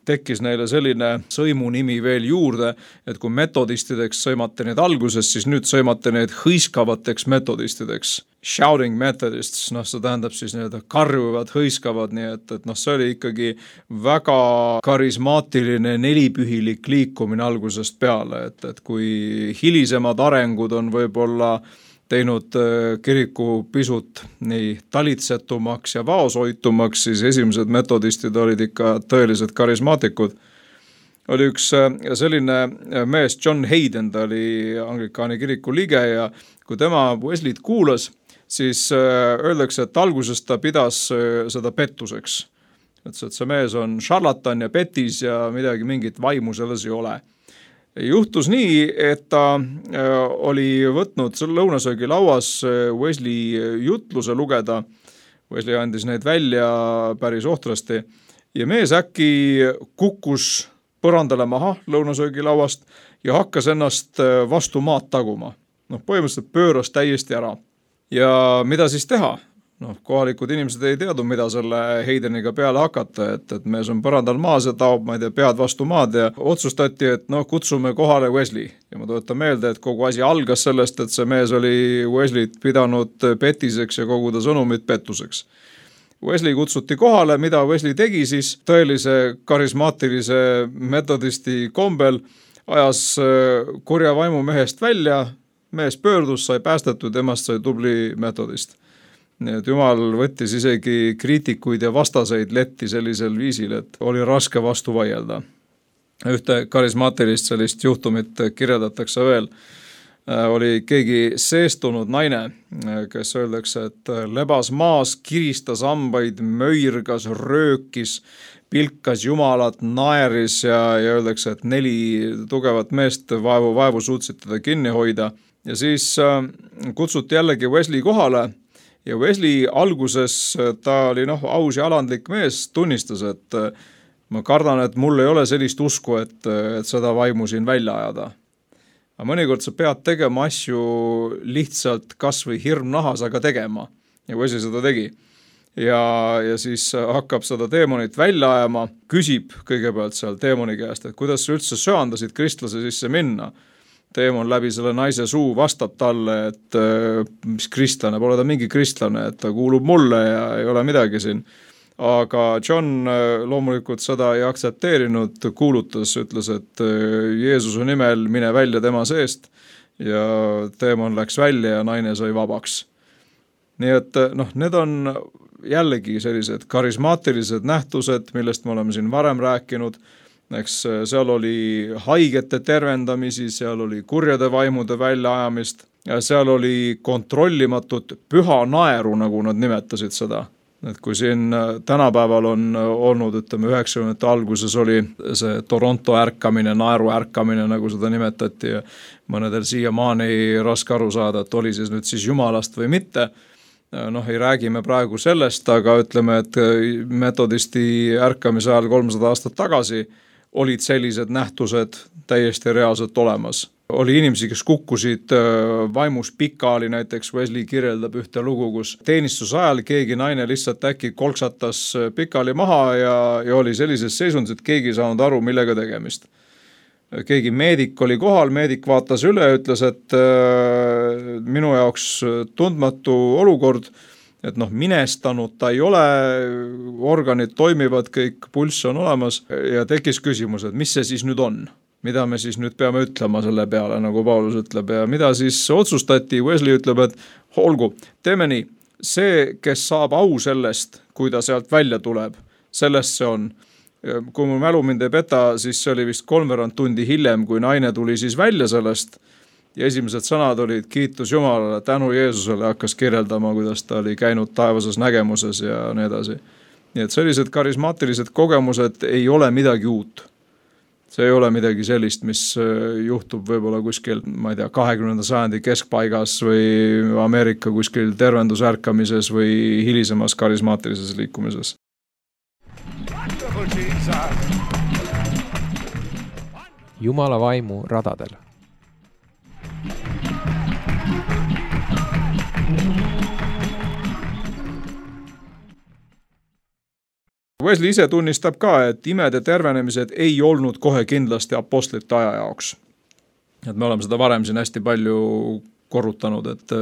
Tekkis neile selline sõimunimi veel juurde, et kui metodistideks sõimate need alguses, siis nüüd sõimate need hõiskavateks metodistideks. Shouting Methodists, noh, see tähendab siis need karjuvad, hõiskavad, nii et, et noh, see oli ikkagi väga karismaatiline nelipühilik liikumine algusest peale, et, et kui hilisemad arengud on võib-olla teinud kiriku pisut nii talitsetumaks ja vaoshoitumaks, siis esimesed metodistid olid ikka tõelised karismaatikud. Oli üks selline mees, John Hayden, ta oli Anglikaani kiriku liige ja kui tema Wesleyt kuulas, siis öeldakse, et alguses ta pidas seda pettuseks. Et see mees on šarlatan ja petis ja midagi mingit vaimu selles ei ole. Juhtus nii, et ta oli võtnud lõunasöögi lauas Wesley jutluse lugeda. Wesley andis neid välja päris ohtrasti ja mees äkki kukkus põrandale maha lõunasöögi lauast ja hakkas ennast vastu maad taguma. Noh, põhimõtteliselt pööras täiesti ära. Ja mida siis teha? Noh, kohalikud inimesed ei teadnud, mida selle Haydeniga peale hakata, et, et mees on põrandal maas ja taob, ma ei tea, pead vastu maad ja otsustati, et noh, kutsume kohale Wesley. Ja ma tuletan meelde, et kogu asi algas sellest, et see mees oli Wesleyt pidanud petiseks ja kogu ta sõnumit pettuseks. Wesley kutsuti kohale, mida Wesley tegi siis tõelise karismaatilise metodisti kombel, ajas kurja vaimu mehest välja, mees pöördus, sai päästetud, temast sai tubli metodist. Nii et Jumal võttis isegi kriitikuid ja vastaseid letti sellisel viisil, et oli raske vastu vaielda. Ühte karismaatilist sellist juhtumit kirjeldatakse veel. Oli keegi seestunud naine, kes öeldakse, et lebas maas, kiristas hambaid, möirgas, röökis, pilkas Jumalat, naeris ja, ja öeldakse, et neli tugevat meest vaevu, vaevu suutsid teda kinni hoida. Ja siis kutsuti jällegi Wesley kohale. Ja Wesley alguses, ta oli noh, aus ja alandlik mees, tunnistas, et ma kardan, et mul ei ole sellist usku, et, et seda vaimu siin välja ajada. Aga mõnikord sa pead tegema asju lihtsalt kas või hirm nahas, aga tegema. Ja Wesley seda tegi. ja, ja siis hakkab seda teemonit välja ajama, küsib kõigepealt seal teemoni käest, et kuidas sa üldse söandasid kristlase sisse minna. Teemon läbi selle naise suu vastab talle, et mis kristlane, pole ta mingi kristlane, et ta kuulub mulle ja ei ole midagi siin. Aga John loomulikult seda ei aktsepteerinud, kuulutas, ütles, et Jeesuse nimel mine välja tema seest ja teemon läks välja ja naine sai vabaks. Nii et noh, need on jällegi sellised karismaatilised nähtused, millest me oleme siin varem rääkinud. Eks seal oli haigete tervendamisi, seal oli kurjade vaimude väljaajamist ja seal oli kontrollimatut püha naeru, nagu nad nimetasid seda. Et kui siin tänapäeval on olnud, ütleme üheksakümnendate alguses oli see Toronto ärkamine, naeru ärkamine, nagu seda nimetati ja mõnedel siiamaani raske aru saada, et oli siis nüüd siis jumalast või mitte. Noh, ei räägime praegu sellest, aga ütleme, et metodisti ärkamise ajal kolmsada aastat tagasi olid sellised nähtused täiesti reaalselt olemas. Oli inimesi, kes kukkusid vaimus pikali, näiteks Wesley kirjeldab ühte lugu, kus teenistuse ajal keegi naine lihtsalt äkki kolksatas pikali maha ja, ja oli sellises seisundis, et keegi ei saanud aru, millega tegemist. Keegi meedik oli kohal, meedik vaatas üle ja ütles, et äh, minu jaoks tundmatu olukord, et noh, minestanud ta ei ole, organid toimivad, kõik pulss on olemas ja tekkis küsimus, et mis see siis nüüd on? Mida me siis nüüd peame ütlema selle peale, nagu Paulus ütleb ja mida siis otsustati, Wesley ütleb, et olgu, teeme nii, see, kes saab au sellest, kui ta sealt välja tuleb, sellest see on. Kui mu mälu mind ei peta, siis see oli vist kolmveerand tundi hiljem, kui naine tuli siis välja sellest ja esimesed sõnad olid kiitus Jumalale, tänu Jeesusele, hakkas kirjeldama, kuidas ta oli käinud taevases nägemuses ja nii edasi. Nii et sellised karismaatilised kogemused ei ole midagi uut. See ei ole midagi sellist, mis juhtub võib-olla kuskil, ma ei tea, kahekümnenda sajandi keskpaigas või Ameerika kuskil tervendusärkamises või hilisemas karismaatilises liikumises. Jumala vaimu radadel. Wesley ise tunnistab ka, et imede tervenemised ei olnud kohe kindlasti apostlite aja jaoks. Et me oleme seda varem siin hästi palju korrutanud, et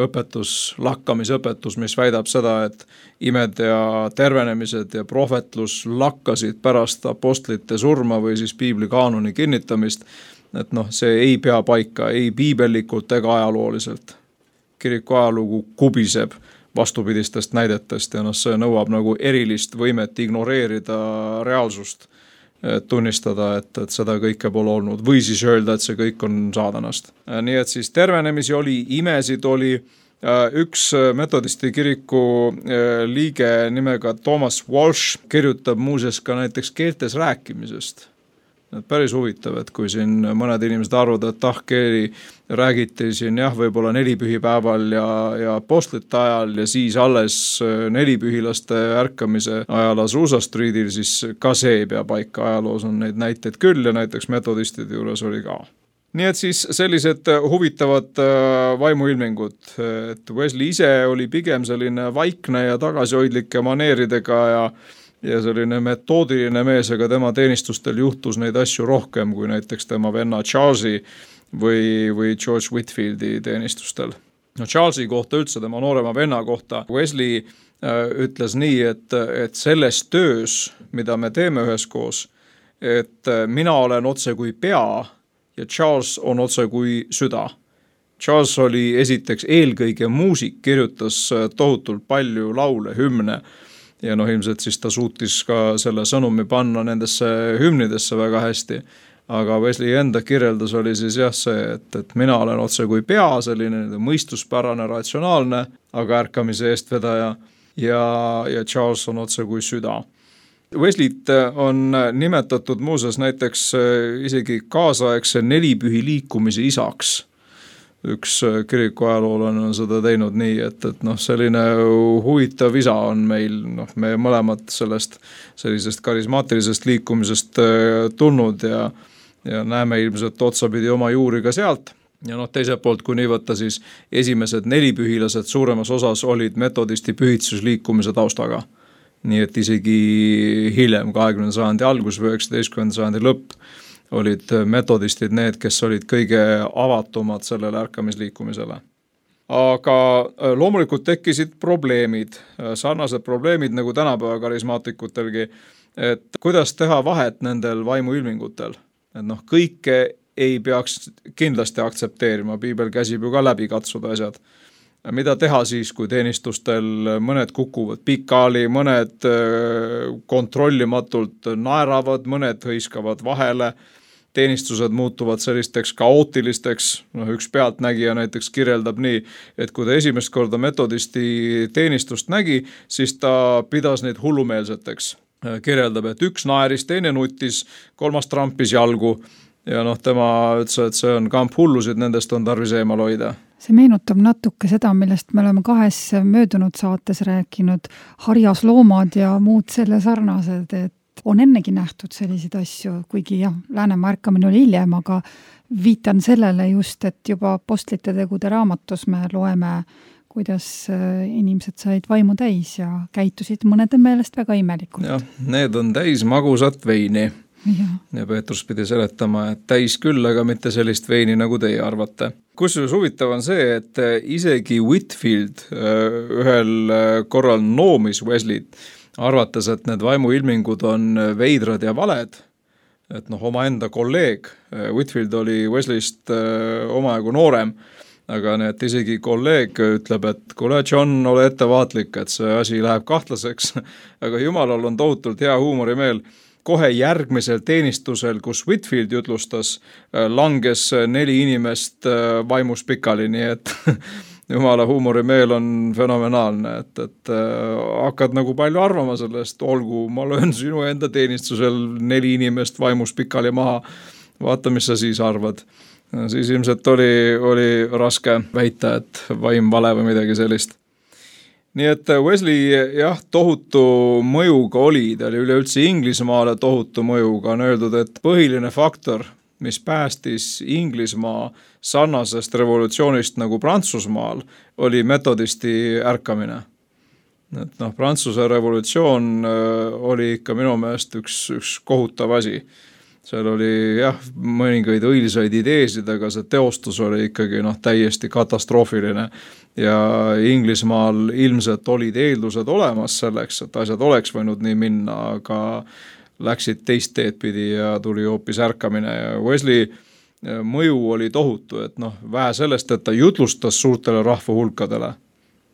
õpetus, lakkamisõpetus, mis väidab seda, et imed ja tervenemised ja prohvetlus lakkasid pärast apostlite surma või siis piibli kaanoni kinnitamist, et noh, see ei pea paika, ei piibellikult ega ajalooliselt. Kiriku ajalugu kubiseb vastupidistest näidetest ja noh, see nõuab nagu erilist võimet ignoreerida reaalsust, tunnistada, et, et seda kõike pole olnud või siis öelda, et see kõik on saadanast. Nii et siis tervenemisi oli, imesid oli, üks metodisti kiriku liige nimega Thomas Walsh kirjutab muuseas ka näiteks keeltes rääkimisest. Päris huvitav, et kui siin mõned inimesed arvavad, et ah, keeli räägiti siin jah, võib-olla nelipühipäeval ja, ja apostlite ajal ja siis alles nelipühilaste ärkamise ajal Azusa Streetil, siis ka see ei pea paika, ajaloos on neid näiteid küll ja näiteks metodistide juures oli ka. Nii et siis sellised huvitavad vaimuilmingud, et Wesley ise oli pigem selline vaikne ja tagasihoidlike maneeridega ja ja selline metoodiline mees, aga tema teenistustel juhtus neid asju rohkem kui näiteks tema venna Charlesi või, või George Whitfieldi teenistustel. No Charlesi kohta üldse, tema noorema venna kohta, Wesley äh, ütles nii, et, et selles töös, mida me teeme üheskoos, et mina olen otse kui pea ja Charles on otse kui süda. Charles oli esiteks eelkõige muusik, kirjutas tohutult palju laule, hümne, ja noh, ilmselt siis ta suutis ka selle sõnumi panna nendesse hümnidesse väga hästi. Aga Wesley enda kirjeldus oli siis jah see, et, et mina olen otse kui pea, selline mõistuspärane, ratsionaalne, aga ärkamise eestvedaja ja, ja Charles on otse kui süda. Wesleyt on nimetatud muuseas näiteks isegi kaasaegse nelipühi liikumise isaks. Üks kiriku ajaloolane on seda teinud nii, et, et noh, selline huvitav isa on meil, noh, me mõlemad sellest sellisest karismaatilisest liikumisest tulnud ja, ja näeme ilmselt otsapidi oma juuri ka sealt. ja noh, teiselt poolt, kui nii võtta, siis esimesed nelipühilased suuremas osas olid metodisti pühitsusliikumise taustaga. Nii et isegi hiljem, kahekümnenda sajandi algus või üheksateistkümnenda sajandi lõpp, olid metodistid need, kes olid kõige avatumad sellele ärkamisliikumisele. Aga loomulikult tekkisid probleemid, sarnased probleemid nagu tänapäeva karismaatikutelgi, et kuidas teha vahet nendel vaimuilmingutel. Et noh, kõike ei peaks kindlasti aktsepteerima, piibel käsib ju ka läbi katsuda asjad. Mida teha siis, kui teenistustel mõned kukuvad pikali, mõned kontrollimatult naeravad, mõned hõiskavad vahele, teenistused muutuvad sellisteks kaootilisteks, noh üks pealtnägija näiteks kirjeldab nii, et kui ta esimest korda metodisti teenistust nägi, siis ta pidas neid hullumeelseteks. Kirjeldab, et üks naeris, teine nutis, kolmas trampis jalgu ja noh, tema ütles, et see on kamp hullusid, nendest on tarvis eemal hoida. See meenutab natuke seda, millest me oleme kahes möödunud saates rääkinud, harjas loomad ja muud selle sarnased, et on ennegi nähtud selliseid asju, kuigi jah, Läänemaa ärkamine oli hiljem, aga viitan sellele just, et juba Apostlite tegude raamatus me loeme, kuidas inimesed said vaimu täis ja käitusid mõnede meelest väga imelikult. Jah, need on täis magusat veini. Ja. ja Peetrus pidi seletama, et täis küll, aga mitte sellist veini, nagu teie arvate. Kusjuures huvitav on see, et isegi Whitfield ühel korral noomis Wesleyt, arvates, et need vaimuilmingud on veidrad ja valed, et noh, oma enda kolleeg, Whitfield oli Wesleyst omajagu noorem, aga need isegi kolleeg ütleb, et kuule John, ole ettevaatlik, et see asi läheb kahtlaseks, aga Jumalal on tohutult hea huumorimeel. Kohe järgmisel teenistusel, kus Whitfield jutlustas, langes neli inimest vaimus pikali, nii et Jumala huumorimeel on fenomenaalne, et, et äh, hakkad nagu palju arvama sellest, olgu, ma löön sinu enda teenistusel neli inimest vaimus pikali maha, vaata, mis sa siis arvad. Siis ilmselt oli, oli raske väita, et vaim vale või midagi sellist. Nii et Wesley jah, tohutu mõjuga oli, ta oli üleüldse Inglismaale tohutu mõjuga, on öeldud, et põhiline faktor, mis päästis Inglismaa sarnasest revolutsioonist nagu Prantsusmaal, oli metodisti ärkamine. Et noh, Prantsuse revolutsioon oli ikka minu meelest üks, üks kohutav asi. Seal oli jah, mõningaid õilsaid ideesid, aga see teostus oli ikkagi noh, täiesti katastroofiline. Ja Inglismaal ilmselt olid eeldused olemas selleks, et asjad oleks võinud nii minna, aga läksid teist teed pidi ja tuli hoopis ärkamine ja Wesley mõju oli tohutu, et noh, vähe sellest, et ta jutlustas suurtele rahva hulkadele.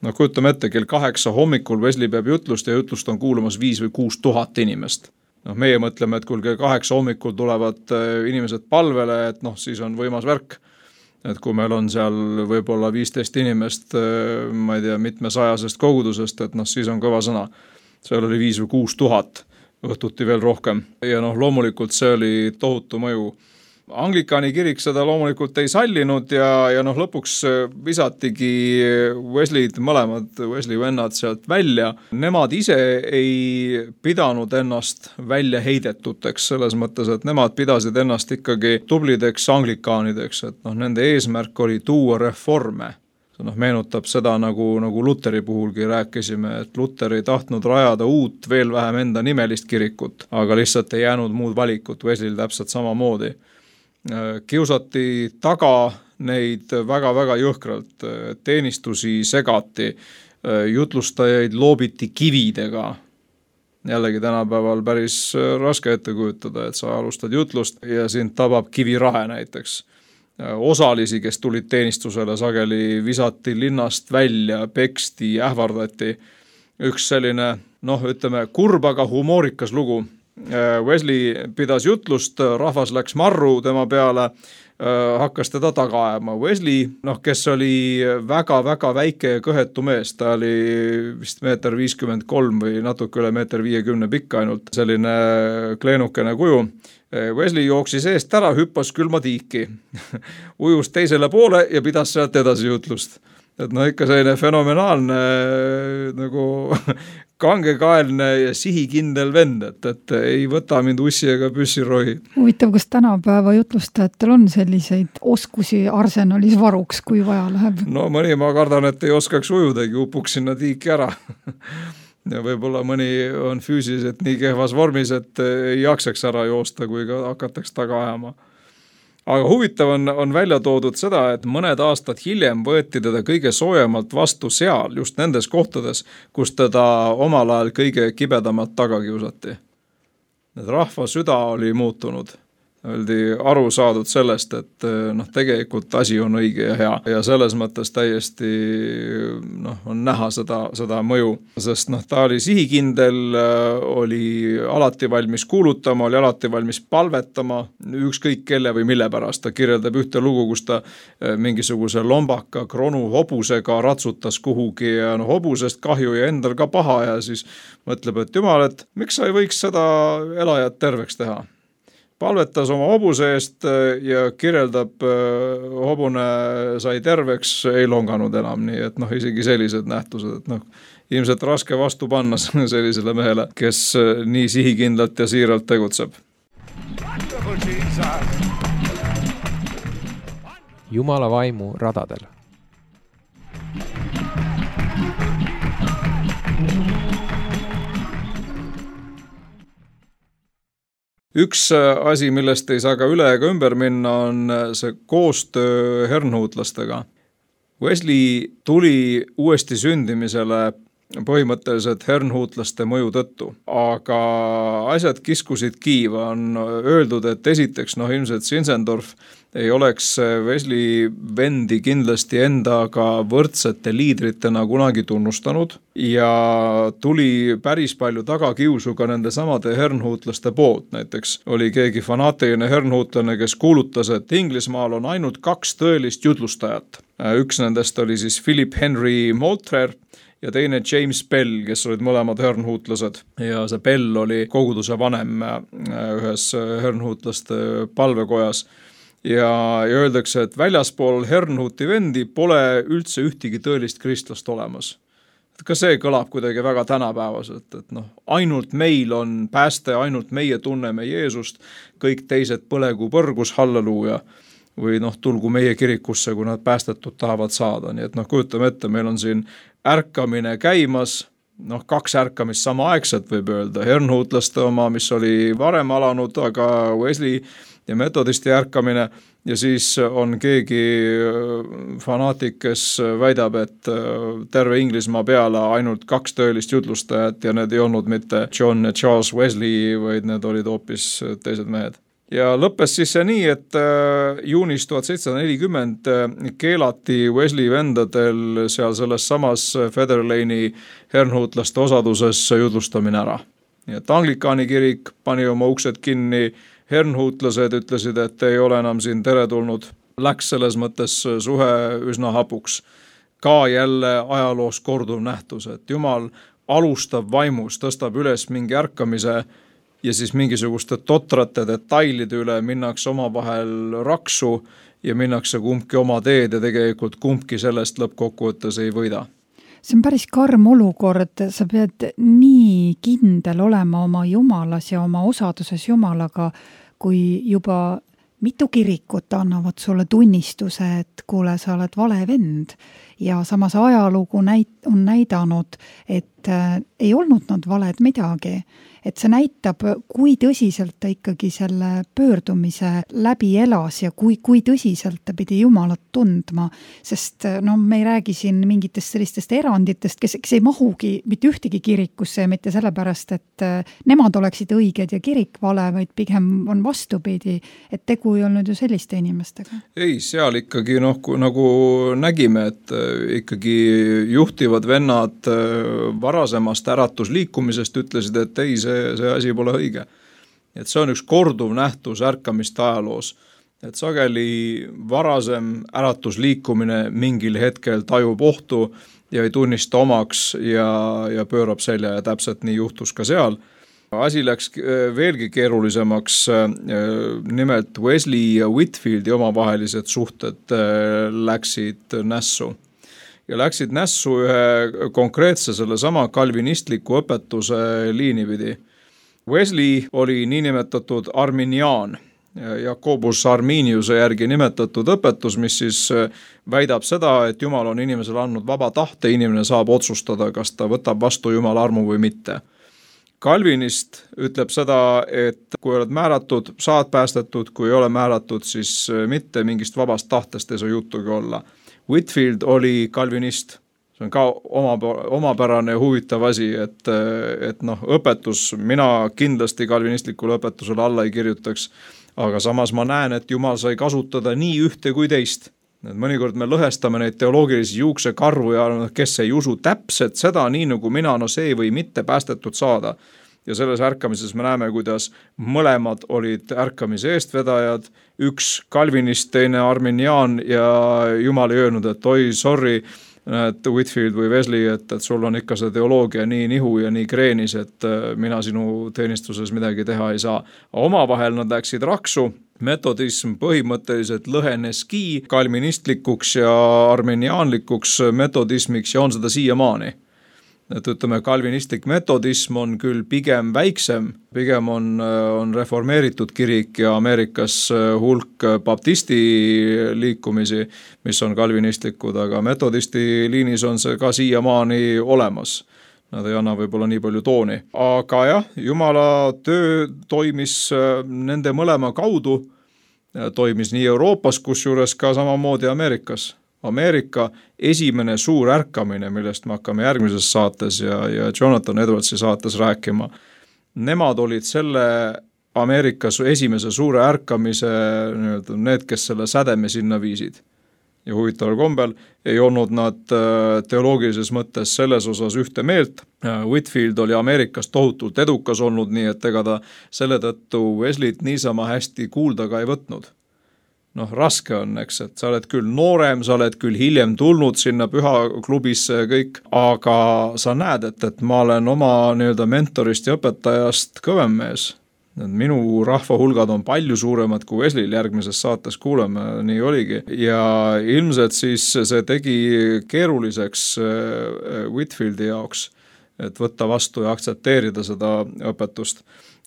No kujutame ette, kell kaheksa hommikul Wesley peab jutlust ja jutlust on kuulamas viis või kuus tuhat inimest. Noh, meie mõtleme, et kui kell kaheksa hommikul tulevad inimesed palvele, et noh, siis on võimas värk. Et kui meil on seal võib-olla viisteist inimest, ma ei tea, mitmesajasest kogudusest, et noh, siis on kõva sõna. Seal oli viis või kuus tuhat. Õhtuti veel rohkem ja noh, loomulikult see oli tohutu mõju. Anglikani kirik seda loomulikult ei sallinud ja, ja noh, lõpuks visatigi Wesley'd, mõlemad Wesley vennad sealt välja. Nemad ise ei pidanud ennast välja heidetuteks selles mõttes, et nemad pidasid ennast ikkagi tublideks anglikaanideks, et noh, nende eesmärk oli tuua reforme. See noh, meenutab seda, nagu, nagu Luteri puhulgi rääkisime, et Luter ei tahtnud rajada uut, veel vähem enda nimelist kirikut, aga lihtsalt ei jäänud muud valikut, Wesley'l täpselt samamoodi. Kiusati taga neid väga-väga jõhkralt, teenistusi segati, jutlustajaid loobiti kividega. Jällegi tänapäeval päris raske ette kujutada, et sa alustad jutlust ja sind tabab kivirahe näiteks. Osalisi, kes tulid teenistusele, sageli visati linnast välja, peksti, ähvardati. Üks selline, noh, ütleme, kurbaga humoorikas lugu. Wesley pidas jutlust, rahvas läks marru tema peale, hakkas teda taga ajama. Wesley, noh, kes oli väga-väga väike ja kõhetu mees, ta oli vist meeter viiskümmend kolm või natuke üle meeter viiekümne pikk ainult, selline kleenukene kuju. Wesley jooksis eest ära, hüppas külma tiiki, ujus teisele poole ja pidas sealt edasi jutlust. et no ikka selline fenomenaalne nagu kangekaelne ja sihikindel vend, et, et ei võta mind ussi ega püssirohi. Huvitav, kas tänapäeva jutlustajatel on selliseid oskusi arsenalis varuks, kui vaja läheb? No mõni ma kardan, et ei oskaks ujudagi, upuks sinna tiiki ära. Ja võib-olla mõni on füüsiliselt nii kehvas vormis, et ei jaksaks ära joosta, kui ka hakataks taga ajama. Aga huvitav on, on välja toodud seda, et mõned aastad hiljem võeti teda kõige soojemalt vastu seal, just nendes kohtades, kus teda omal ajal kõige kibedamalt taga kiusati. Need rahva süda oli muutunud. Oldi aru saadud sellest, et noh, tegelikult asi on õige ja hea ja selles mõttes täiesti noh, on näha seda, seda mõju, sest noh, ta oli sihikindel, oli alati valmis kuulutama, oli alati valmis palvetama, ükskõik kelle või mille pärast. Ta kirjeldab ühte lugu, kus ta mingisuguse lombaka kronu hobusega ratsutas kuhugi ja no, hobusest kahju ja endal ka paha ja siis mõtleb, et jumal, et miks sa ei võiks seda elajat terveks teha? Palvetas oma hobuse eest ja kirjeldab, hobune sai terveks, ei longanud enam, nii et noh, isegi sellised nähtused, et noh, ilmselt raske vastu panna sellisele mehele, kes nii sihikindlalt ja siiralt tegutseb. Jumala vaimu radadel. Üks asi, millest ei saa ka üle ega ümber minna, on see koostöö hernhuutlastega. Wesley tuli uuesti sündimisele põhimõtteliselt hernhuutlaste mõju tõttu, aga asjad kiskusid kiiva. On öeldud, et esiteks noh, ilmselt Zinzendorf ei oleks Wesley vendi kindlasti endaga võrdsete liidritena kunagi tunnustanud ja tuli päris palju tagakiusu ka nende samade hernhuutlaste poolt. Näiteks oli keegi fanaatiline hernhuutlane, kes kuulutas, et Inglismaal on ainult kaks tõelist jutlustajat. Üks nendest oli siis Philip Henry Moultrie ja teine James Bell, kes olid mõlemad hernhuutlased. Ja see Bell oli koguduse vanem ühes hernhuutlaste palvekojas. Ja, ja öeldakse, et väljaspool hernhuuti vendi pole üldse ühtegi tõelist kristlast olemas. Ka see kõlab kuidagi väga tänapäevaselt, et noh, ainult meil on pääste, ainult meie tunneme Jeesust, kõik teised põlegu põrgus, halleluuja, või noh, tulgu meie kirikusse, kui nad päästetud tahavad saada. Nii et noh, kujutame ette, meil on siin ärkamine käimas, noh, kaks ärkamist samaaegselt võib öelda, hernhuutlaste oma, mis oli varem alanud, aga Wesley ja metodisti ärkamine ja siis on keegi fanaatik, kes väidab, et terve Inglismaa peale ainult kaks tõelist jutlustajat ja need ei olnud mitte John ja Charles Wesley, vaid need olid hoopis teised mehed. Ja lõppes siis see nii, et juunis tuhat seitsesada nelikümmend keelati Wesley vendadel seal selles samas Feather Lane'i hernhuutlaste osaduses jutlustamine ära. Nii et Anglikaani kirik pani oma uksed kinni, hernhuutlased ütlesid, et ei ole enam siin teretulnud. Läks selles mõttes suhe üsna hapuks. Ka jälle ajaloos korduv nähtus, et Jumal alustab vaimus, tõstab üles mingi ärkamise ja siis mingisuguste totrate detailide üle minnakse oma vahel raksu ja minnakse kumbki oma teed ja tegelikult kumbki sellest lõppkokkuvõttes ei võida. See on päris karm olukord, sa pead nii kindel olema oma jumalas ja oma osaduses jumalaga, kui juba mitu kirikut annavad sulle tunnistuse, et kuule, sa oled vale vend. Ja samas ajalugu näit- on näidanud, et äh, ei olnud nad valed midagi. Et see näitab, kui tõsiselt ta ikkagi selle pöördumise läbi elas ja kui, kui tõsiselt ta pidi Jumalat tundma, sest no, me ei räägi siin mingitest sellistest eranditest, kes, kes ei mahugi mitte ühtegi kirikusse ja mitte sellepärast, et nemad oleksid õiged ja kirik vale, vaid pigem on vastupidi, et tegu ei olnud ju selliste inimestega. Ei, seal ikkagi noh, nagu nägime, et ikkagi juhtivad vennad varasemast äratusliikumisest ütlesid, et ei, see see asi pole õige. Et see on üks korduv nähtus ärkamist ajaloos. Et sageli varasem äratusliikumine mingil hetkel tajub ohtu ja ei tunnista omaks ja, ja pöörab selja ja täpselt nii juhtus ka seal. Asi läks veelgi keerulisemaks, nimelt Wesley ja Whitfieldi omavahelised suhted läksid nässu. ja läksid nässu ühe konkreetse selle sama kalvinistliku õpetuse liini pidi. Wesley oli niinimetatud arminiaan, Jakobus Arminiuse järgi nimetatud õpetus, mis siis väidab seda, et Jumal on inimesele andnud vaba tahte, inimene saab otsustada, kas ta võtab vastu Jumala armu või mitte. Calvinist ütleb seda, et kui oled määratud, saad päästetud, kui ei ole määratud, siis mitte mingist vabast tahtest ei saa juttugi olla. Whitfield oli kalvinist, see on ka oma, omapärane huvitav asi, et, et noh, õpetus, mina kindlasti kalvinistlikule õpetusele alla ei kirjutaks, aga samas ma näen, et Jumal sai kasutada nii ühte kui teist. Et mõnikord me lõhestame neid teoloogilisi juuksekarvu ja kes ei usu täpselt seda, nii nagu mina, no see või mitte päästetud saada. Ja selles ärkamises me näeme, kuidas mõlemad olid ärkamise eestvedajad, üks kalvinist, teine arminiaan ja Jumal ei öelnud, et oi, sorry, et Whitfield või Wesley, et, et sul on ikka see teoloogia nii nihu ja nii kreenis, et mina sinu teenistuses midagi teha ei saa. Omavahel nad läksid raksu, metodism põhimõtteliselt lõheneski kalvinistlikuks ja arminiaanlikuks metodismiks ja on seda siiamaani. Et ütleme, kalvinistlik metodism on küll pigem väiksem, pigem on, on reformeeritud kirik ja Ameerikas hulk baptisti liikumisi, mis on kalvinistlikud, aga metodisti liinis on see ka siiamaani olemas. Nad ei anna võib-olla nii palju tooni. Aga jah, Jumala töö toimis nende mõlema kaudu, toimis nii Euroopas, kusjuures ka samamoodi Ameerikas. Ameerika esimene suur ärkamine, millest me hakkame järgmises saates ja, ja Jonathan Edwardsi saates rääkima. Nemad olid selle Ameerikas esimese suure ärkamise, need, kes selle sädeme sinna viisid. Ja huvitaval kombel ei olnud nad teoloogilises mõttes selles osas ühte meelt. Whitfield oli Ameerikas tohutult edukas olnud, nii et ega ta selle tõttu Wesleyt niisama hästi kuulda ka ei võtnud. Noh, raske on, eks, et sa oled küll noorem, sa oled küll hiljem tulnud sinna pühaklubisse ja kõik, aga sa näed, et, et ma olen oma nii-öelda mentorist ja õpetajast kõvem mees. Minu rahva hulgad on palju suuremad kui Wesleyl, järgmises saates kuuleme, nii oligi. Ja ilmselt siis see tegi keeruliseks Whitfieldi jaoks, et võtta vastu ja aktsepteerida seda õpetust.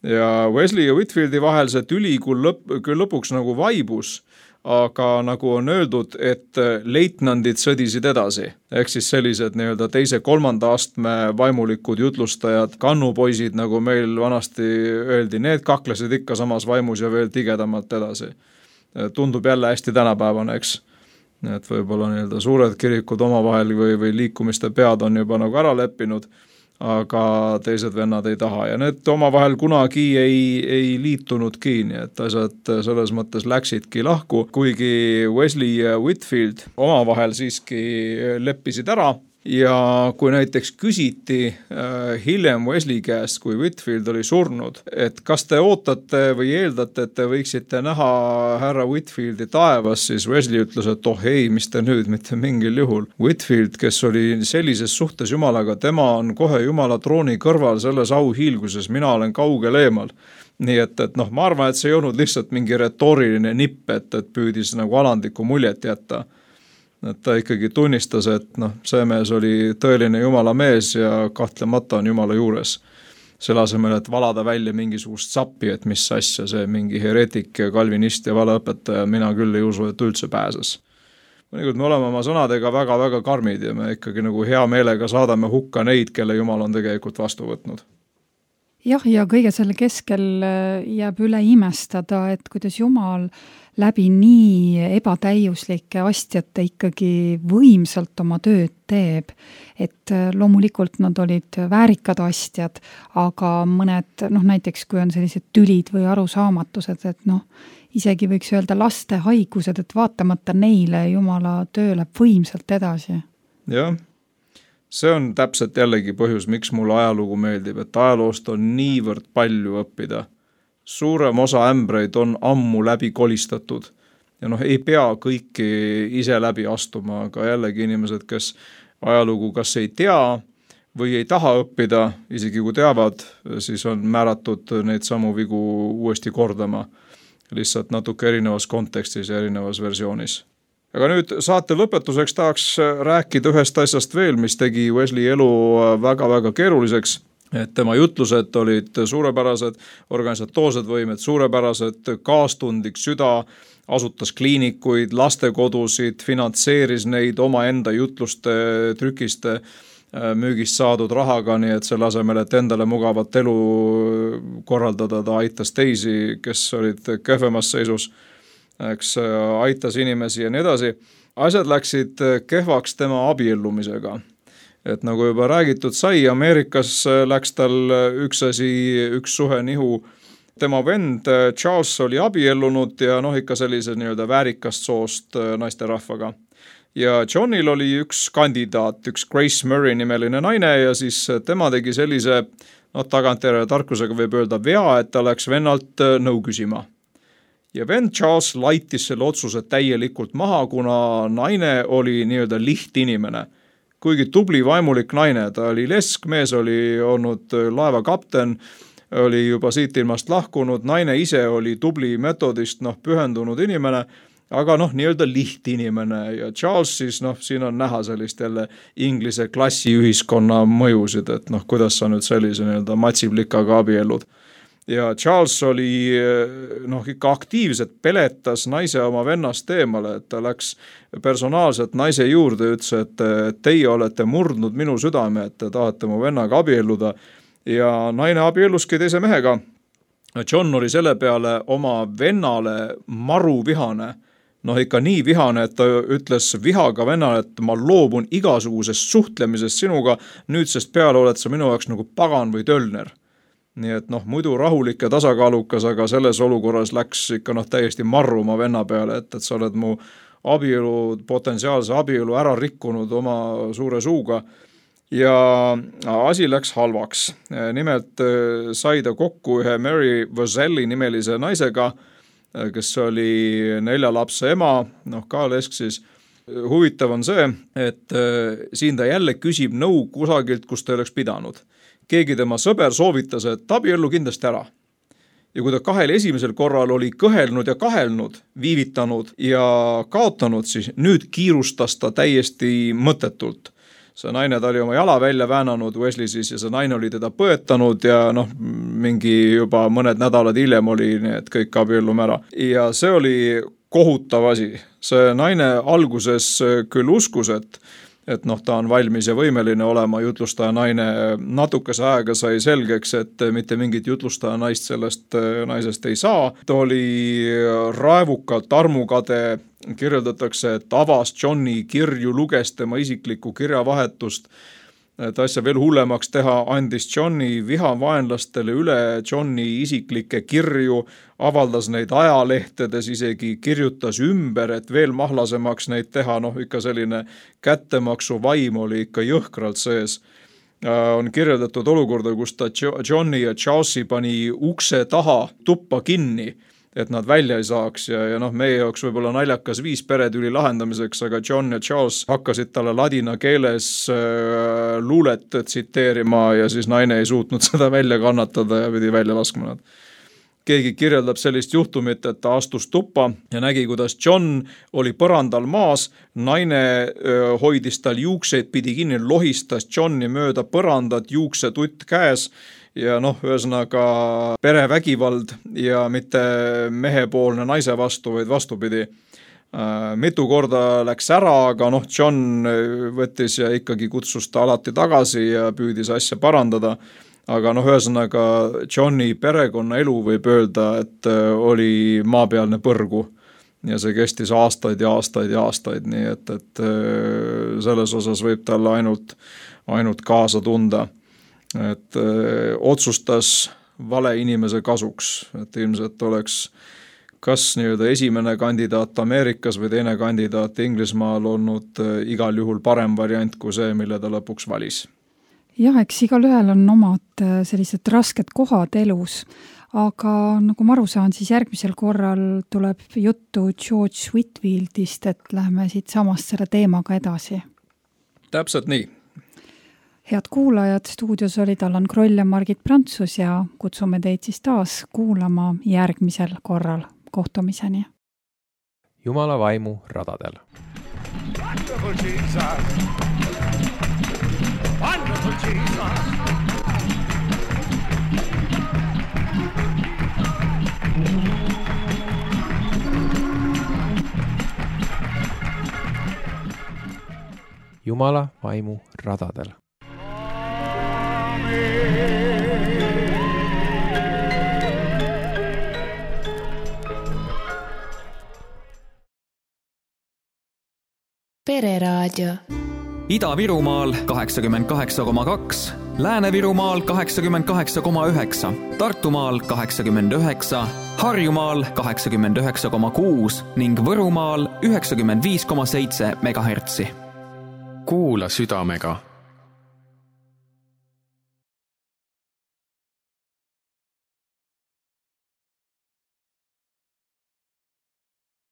Ja Wesley ja Whitfieldi vahel see tüli küll, lõp, küll lõpuks nagu vaibus, aga nagu on öeldud, et leitnandid sõdisid edasi. Ehk siis sellised nii-öelda teise kolmanda astme vaimulikud jutlustajad, kannupoisid, nagu meil vanasti öeldi, need kaklesid ikka samas vaimus ja veel tigedamalt edasi. Tundub jälle hästi tänapäevane, eks. Et võib-olla nii-öelda suured kirikud omavahel või, või liikumiste pead on juba nagu ära leppinud, aga teised vennad ei taha ja need omavahel kunagi ei, ei liitunudki, nii et asjad selles mõttes läksidki lahku, kuigi Wesley ja Whitfield omavahel siiski leppisid ära ja kui näiteks küsiti äh, hiljem Wesley käest, kui Whitfield oli surnud, et kas te ootate või eeldate, et te võiksite näha härra Whitfieldi taevas, siis Wesley ütles, et oh ei, mis te nüüd, mitte mingil juhul. Whitfield, kes oli sellises suhtes Jumalaga, tema on kohe Jumala trooni kõrval selles auhiilguses, mina olen kaugel eemal. Nii et, et noh, ma arvan, et see ei olnud lihtsalt mingi retooriline nipp, et, et püüdis nagu alandlikku muljet jätta. Et ta ikkagi tunnistas, et noh, see mees oli tõeline Jumala mees ja kahtlemata on Jumala juures. Selle asemel, et valada välja mingisugust sappi, et mis asja see mingi heretik ja kalvinist ja valeõpetaja, mina küll ei usu, et üldse pääses. Mõnikord me oleme oma sõnadega väga-väga karmid ja me ikkagi nagu hea meelega saadame hukka neid, kelle Jumal on tegelikult vastu võtnud. Jah, ja kõige selle keskel jääb üle imestada, et kuidas Jumal läbi nii ebatäiuslike astjate ikkagi võimsalt oma tööd teeb. Et loomulikult nad olid väärikad astjad, aga mõned, noh näiteks kui on sellised tülid või arusaamatused, et noh, isegi võiks öelda laste haigused, et vaatamata neile Jumala töö läheb võimsalt edasi. Jah. See on täpselt jällegi põhjus, miks mulle ajalugu meeldib, et ajaloost on niivõrd palju õppida. Suurem osa ämbreid on ammu läbi kolistatud ja noh, ei pea kõiki ise läbi astuma, aga jällegi inimesed, kes ajalugu kas ei tea või ei taha õppida, isegi kui teavad, siis on määratud neid samu vigu uuesti kordama, lihtsalt natuke erinevas kontekstis ja erinevas versioonis. aga nüüd saate lõpetuseks tahaks rääkida ühest asjast veel, mis tegi Wesley elu väga-väga keeruliseks. Et tema jutlused olid suurepärased, organisatoorsed võimed suurepärased, kaastundlik süda, asutas kliinikuid, lastekodusid, finantseeris neid omaenda jutluste, trükiste, müügist saadud rahaga, nii et selle asemel, et endale mugavat elu korraldada, ta aitas teisi, kes olid kehvemas seisus, eks aitas inimesi ja nii edasi. Asjad läksid kehvaks tema abiellumisega. Et nagu juba räägitud sai, Ameerikas läks tal üks asi, üks suhe nihu. Tema vend Charles oli abiellunud ja noh ikka sellise nii-öelda väärikast soost naisterahvaga. Ja Johnil oli üks kandidaat, üks Grace Murray nimeline naine ja siis tema tegi sellise no, tagantjärele tarkusega võib öelda vea, et ta läks vennalt nõu küsima. Ja vend Charles laitis selle otsuse täielikult maha, kuna naine oli nii-öelda lihtinimene. Kuigi tubli vaimulik naine, ta oli lesk, mees oli olnud laeva kapten, oli juba siit ilmast lahkunud, naine ise oli tubli metodist, noh, pühendunud inimene, aga noh, nii-öelda lihtinimene ja Charles siis, noh, siin on näha sellist jälle inglise klassiühiskonna mõjusid, et noh, kuidas sa nüüd sellise nii-öelda matsiplikaga abiellud. Ja Charles oli noh, ikka aktiivselt peletas naise oma vennast eemale, et ta läks personaalselt naise juurde ja ütles, et teie olete murdnud minu südame, et te tahate mu vennaga abielluda ja naine abielluski teise mehega. John oli selle peale oma vennale maru vihane, noh ikka nii vihane, et ta ütles vihaga vennale, et ma loobun igasugusest suhtlemisest sinuga, nüüdsest peale oled sa minu jaoks nagu pagan või tölner. Nii et noh, muidu rahulik ja tasakaalukas, aga selles olukorras läks ikka noh täiesti marru oma venna peale, et, et sa oled mu abielu, potentsiaalse abielu ära rikkunud oma suure suuga ja asi läks halvaks. Nimelt sai ta kokku ühe Mary Vazelli nimelise naisega, kes oli nelja lapse ema, noh ka lesk siis. Huvitav on see, et siin ta jälle küsib nõu kusagilt, kus ta oleks pidanud. Keegi tema sõber soovitas, et abiellu kindlasti ära. Ja kui ta kahel esimesel korral oli kõhelnud ja kahelnud, viivitanud ja kaotanud, siis nüüd kiirustas ta täiesti mõttetult. See naine ta oli oma jala välja väänanud Wesley siis ja see naine oli teda põetanud ja noh, mingi juba mõned nädalad hiljem oli nii, et kõik abiellume ära. Ja see oli kohutav asi. See naine alguses küll uskus, et et noh, ta on valmis ja võimeline olema jutlustaja naine. Natukese aega sai selgeks, et mitte mingit jutlustaja naist sellest naisest ei saa. Ta oli raevukalt armukade, kirjeldatakse, et avas Johni kirju, luges tema isiklikku kirjavahetust. Et asja veel hullemaks teha, andis Johni vihavaenlastele üle Johni isiklikke kirju, avaldas neid ajalehtedes, isegi kirjutas ümber, et veel mahlasemaks neid teha, noh ikka selline kättemaksu vaim oli ikka jõhkralt sees. On kirjeldatud olukorda, kus ta Johni ja Charlesi pani ukse taha tuppa kinni, et nad välja ei saaks ja, ja noh, meie jaoks võib-olla naljakas viis peretüli lahendamiseks, aga John ja Charles hakkasid talle ladina keeles äh, luulet tsiteerima ja siis naine ei suutnud seda välja kannatada ja pidi välja laskma nad. Keegi kirjeldab sellist juhtumit, et ta astus tuppa ja nägi, kuidas John oli põrandal maas, naine öö, hoidis tal juukseid, pidi kinni, lohistas Johni mööda põrandat, juuksetutt käes ja noh, ühesõnaga perevägivald ja mitte mehepoolne naise vastu, vaid vastupidi. Mitu korda läks ära, aga noh, John võttis ja ikkagi kutsus ta alati tagasi ja püüdis asja parandada. Aga noh, ühesõnaga Johni perekonna elu võib öelda, et oli maapealne põrgu ja see kestis aastaid ja aastaid ja aastaid, nii et, et selles osas võib talle ainult, ainult kaasa tunda. Et öö, otsustas vale inimese kasuks, et ilmselt oleks kas nii-öelda esimene kandidaat Ameerikas või teine kandidaat Inglismaal olnud öö, igal juhul parem variant kui see, mille ta lõpuks valis. Jah, eks igal ühel on omad sellised rasked kohad elus, aga nagu ma aru saan, siis järgmisel korral tuleb juttu George Whitfieldist, et läheme siit samast selle teemaga edasi. Täpselt nii. Head kuulajad, stuudios olid Allan Kroll ja Margit Prantsus ja kutsume teid siis taas kuulama järgmisel korral kohtumiseni. Jumala vaimu radadel. Wonderful Jesus. Wonderful Jesus. Jumala vaimu radadel. Pereraadio. Ida-Virumaal kaheksakümmend kaheksa koma kaks, Lääne-Virumaal kaheksakümmend kaheksa koma üheksa, Tartumaal kaheksakümmend üheksa, Harjumaal kaheksakümmend üheksa koma kuus ning Võrumaal üheksakümmend viis koma seitse megahertsi. Kuula südamega